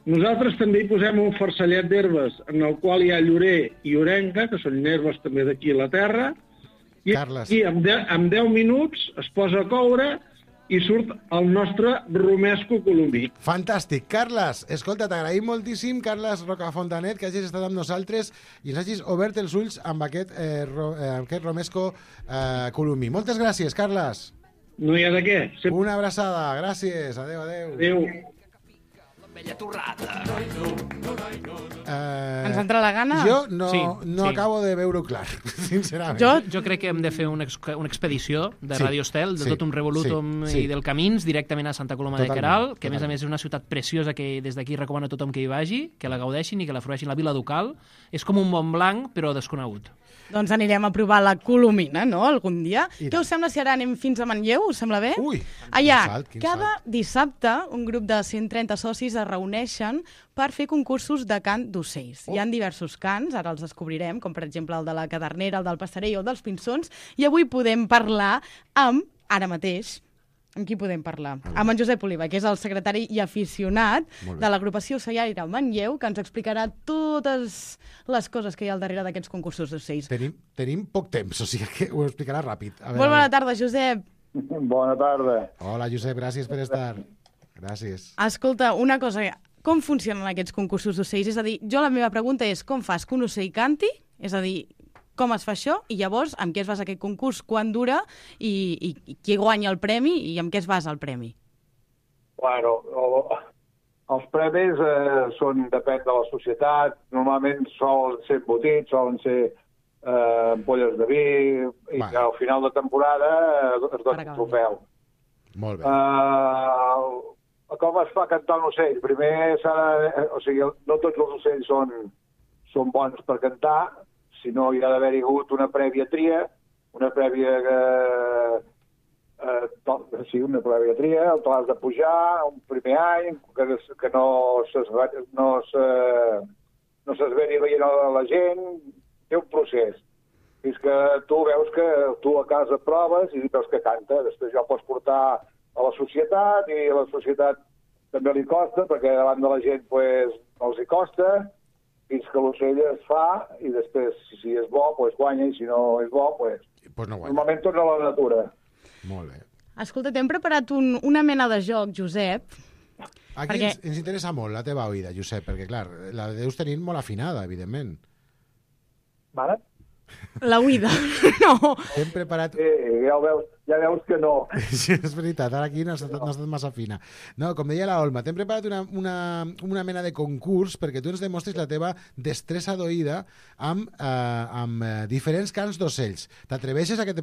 Nosaltres també hi posem un farcellet d'herbes en el qual hi ha llorer i orenga, que són herbes també d'aquí a la terra, i en 10 minuts es posa a coure i surt el nostre romesco colomí. Fantàstic. Carles, escolta, t'agraïm moltíssim, Carles Rocafontanet, que hagis estat amb nosaltres i ens hagis obert els ulls amb aquest romesco colomí. Moltes gràcies, Carles. No hi ha de què. Una abraçada. Gràcies. Adéu, adéu. Adéu. Ens entra la gana? Jo no acabo de veure-ho clar, sincerament. Jo crec que hem de fer una expedició de Radio Estel, de tot un revolutum i del Camins, directament a Santa Coloma de Queralt, que a més és una ciutat preciosa que des d'aquí recomano a tothom que hi vagi, que la gaudeixin i que la frueixin. La Vila Ducal és com un Montblanc, però desconegut. Doncs anirem a provar la Colomina, no?, algun dia. Què us sembla si ara anem fins a Manlleu? Us sembla bé? Ui! Allà, cada dissabte, un grup de 130 socis es reuneixen per fer concursos de cant d'ocells. Hi ha diversos cants, ara els descobrirem, com per exemple el de la cadernera, el del passerell o el dels pinsons, i avui podem parlar amb, ara mateix, amb qui podem parlar? Amb en Josep Oliva, que és el secretari i aficionat de l'agrupació ocellaire Manlleu, que ens explicarà totes les coses que hi ha al darrere d'aquests concursos d'ocells. Tenim poc temps, o sigui que ho explicarà ràpid. Molt bona tarda, Josep. Bona tarda. Hola, Josep, gràcies per estar. Gràcies. Escolta, una cosa, com funcionen aquests concursos d'ocells? És a dir, la meva pregunta és, com fas que un ocell canti? És a dir, com es fa això? I llavors, amb què es basa aquest concurs? Quan dura? I qui guanya el premi? I amb què es basa el premi? Bueno, els premis depèn de la societat. Normalment solen ser embotits, solen ser ampolles de vi, i al final de temporada es dona un trofeu. Molt bé. Com es fa cantar un ocell? Primer o sigui, no tots els ocells són bons per cantar, sinó hi ha d'haver hagut una prèvia tria, una prèvia tria, on t'has de pujar un primer any, que no s'esveri veient la gent, té un procés. Fins que tu veus que tu a casa proves i veus que canta. Després ja ho pots portar a la societat i a la societat també li costa, perquè davant de la gent no els hi costa, fins que l'ocell es fa i després, si és bo, guanya, i si no és bo, no guanya. Normalment torna a la natura. Molt bé. Escolta, t'hem preparat una mena de joc, Josep. Aquí ens interessa molt la teva oïda, Josep, perquè, clar, la deus tenir molt afinada, evidentment. Vale. La huida, no. Hem preparat... Ja veus que no. Sí, és veritat, ara aquí no ha estat massa fina. No, com deia la Olma, t'hem preparat una mena de concurs perquè tu ens demostris la teva destressa d'oïda amb diferents cants d'ocells. T'atreveixes a que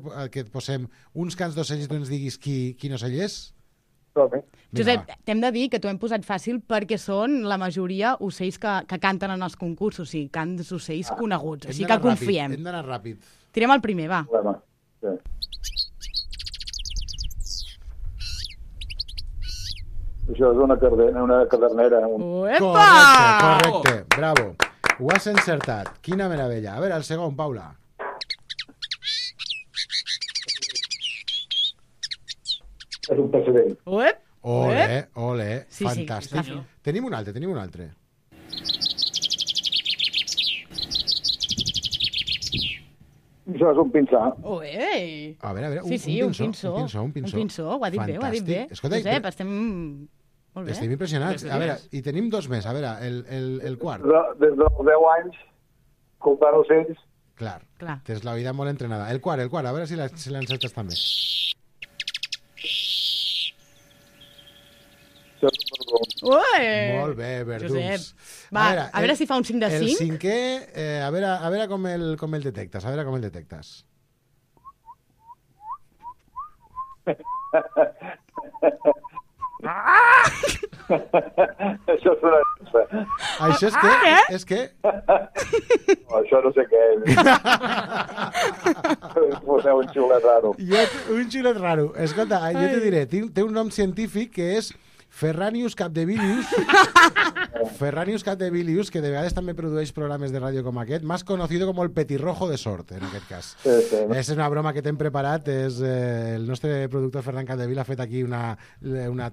et posem uns cants d'ocells i tu ens diguis quin ocell és? Josep, t'hem de dir que t'ho hem posat fàcil perquè són la majoria ocells que canten en els concursos, o sigui, cants d'ocells coneguts, o sigui que confiem. Hem d'anar ràpid. Tirem el primer, va. Sí. Això és una cadernera. Correcte, bravo. Ho has encertat. Quina meravella. A veure, el segon, Paula. És un passerell. Ole, sí, fantàstic. Sí, tenim un altre. Això és un pinsà. A veure, un pinçó, ho ha dit bé. Escolta, Josep, estem... Molt bé. Estem impressionats. A veure, i tenim dos més. A veure, el quart. Des dels 10 anys, comptant ocells. Clar. Tens la vida molt entrenada. El quart. A veure si l'encertes també. Molt bé, verdums. Josep. Va, a veure si fa un 5 de 5. El cinquè, a veure com el detectes. Això és una... Això és què? És què? No, això no sé què és. Poseu un xulet raro. Un xulet raro. Escolta, jo te diré, té un nom científic que és Ferranius capdevilius, que de vegades també produeix programes de ràdio com aquest, más conocido como el petirrojo de sort, en aquest cas. Sí. És una broma que t'hem preparat. El nostre productor Ferran Capdevila ha fet aquí una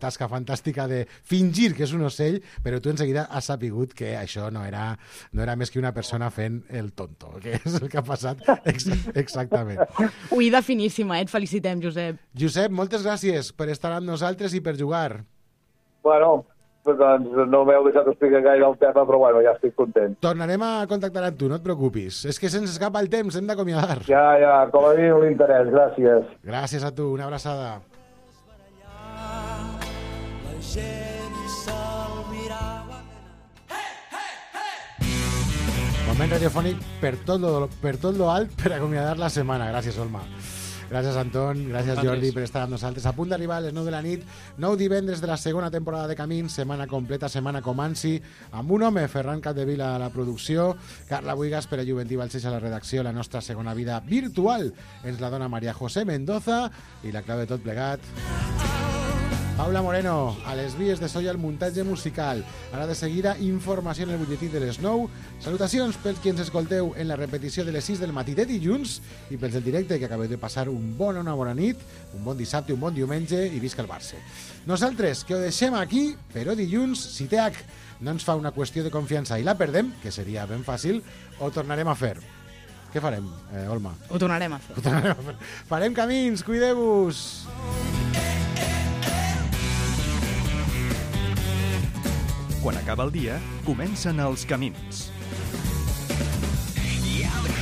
tasca fantàstica de fingir que és un ocell, però tu enseguida has sapigut que això no era més que una persona fent el tonto, que és el que ha passat exactament. Oïda finíssima, et felicitem, Josep. Josep, moltes gràcies per estar amb nosaltres i per jugar. Bueno, doncs no m'heu deixat explicar gaire el tema, però bueno, ja estic content. Tornarem a contactar amb tu, no et preocupis. És que se'ns escapa el temps, hem d'acomiadar. Ja, com a mínim l'interès, gràcies. Gràcies a tu, una abraçada. La gent se'l mirava. Moment radiofònic per tot lo alt per acomiadar la setmana. Gràcies, Olma. Gràcies, Anton. Gràcies, Jordi, per estar amb nosaltres. A punt d'arribar a les 9 de la nit, 9 divendres de la segona temporada de Camins, setmana completa, setmana Comanci, amb un home, Ferran Capdevila a la producció, Carla Buigas, Pere Juventí Balcells a la redacció, la nostra segona vida virtual ens la dona Maria José Mendoza i la clau de tot plegat... Paula Moreno, a les vies de so i al muntatge musical. Ara de seguida, informació en el butlletí de les 9. Salutacions pels qui ens escolteu en la repetició de les 6 del matí de dilluns i pels del directe que acabeu de passar una bona nit, un bon dissabte, un bon diumenge i visca el Barça. Nosaltres, que ho deixem aquí, però dilluns, si TH no ens fa una qüestió de confiança i la perdem, que seria ben fàcil, ho tornarem a fer. Què farem, Olma? Ho tornarem a fer. Farem camins, cuideu-vos! Quan acaba el dia, comencen els camins. Yeah, the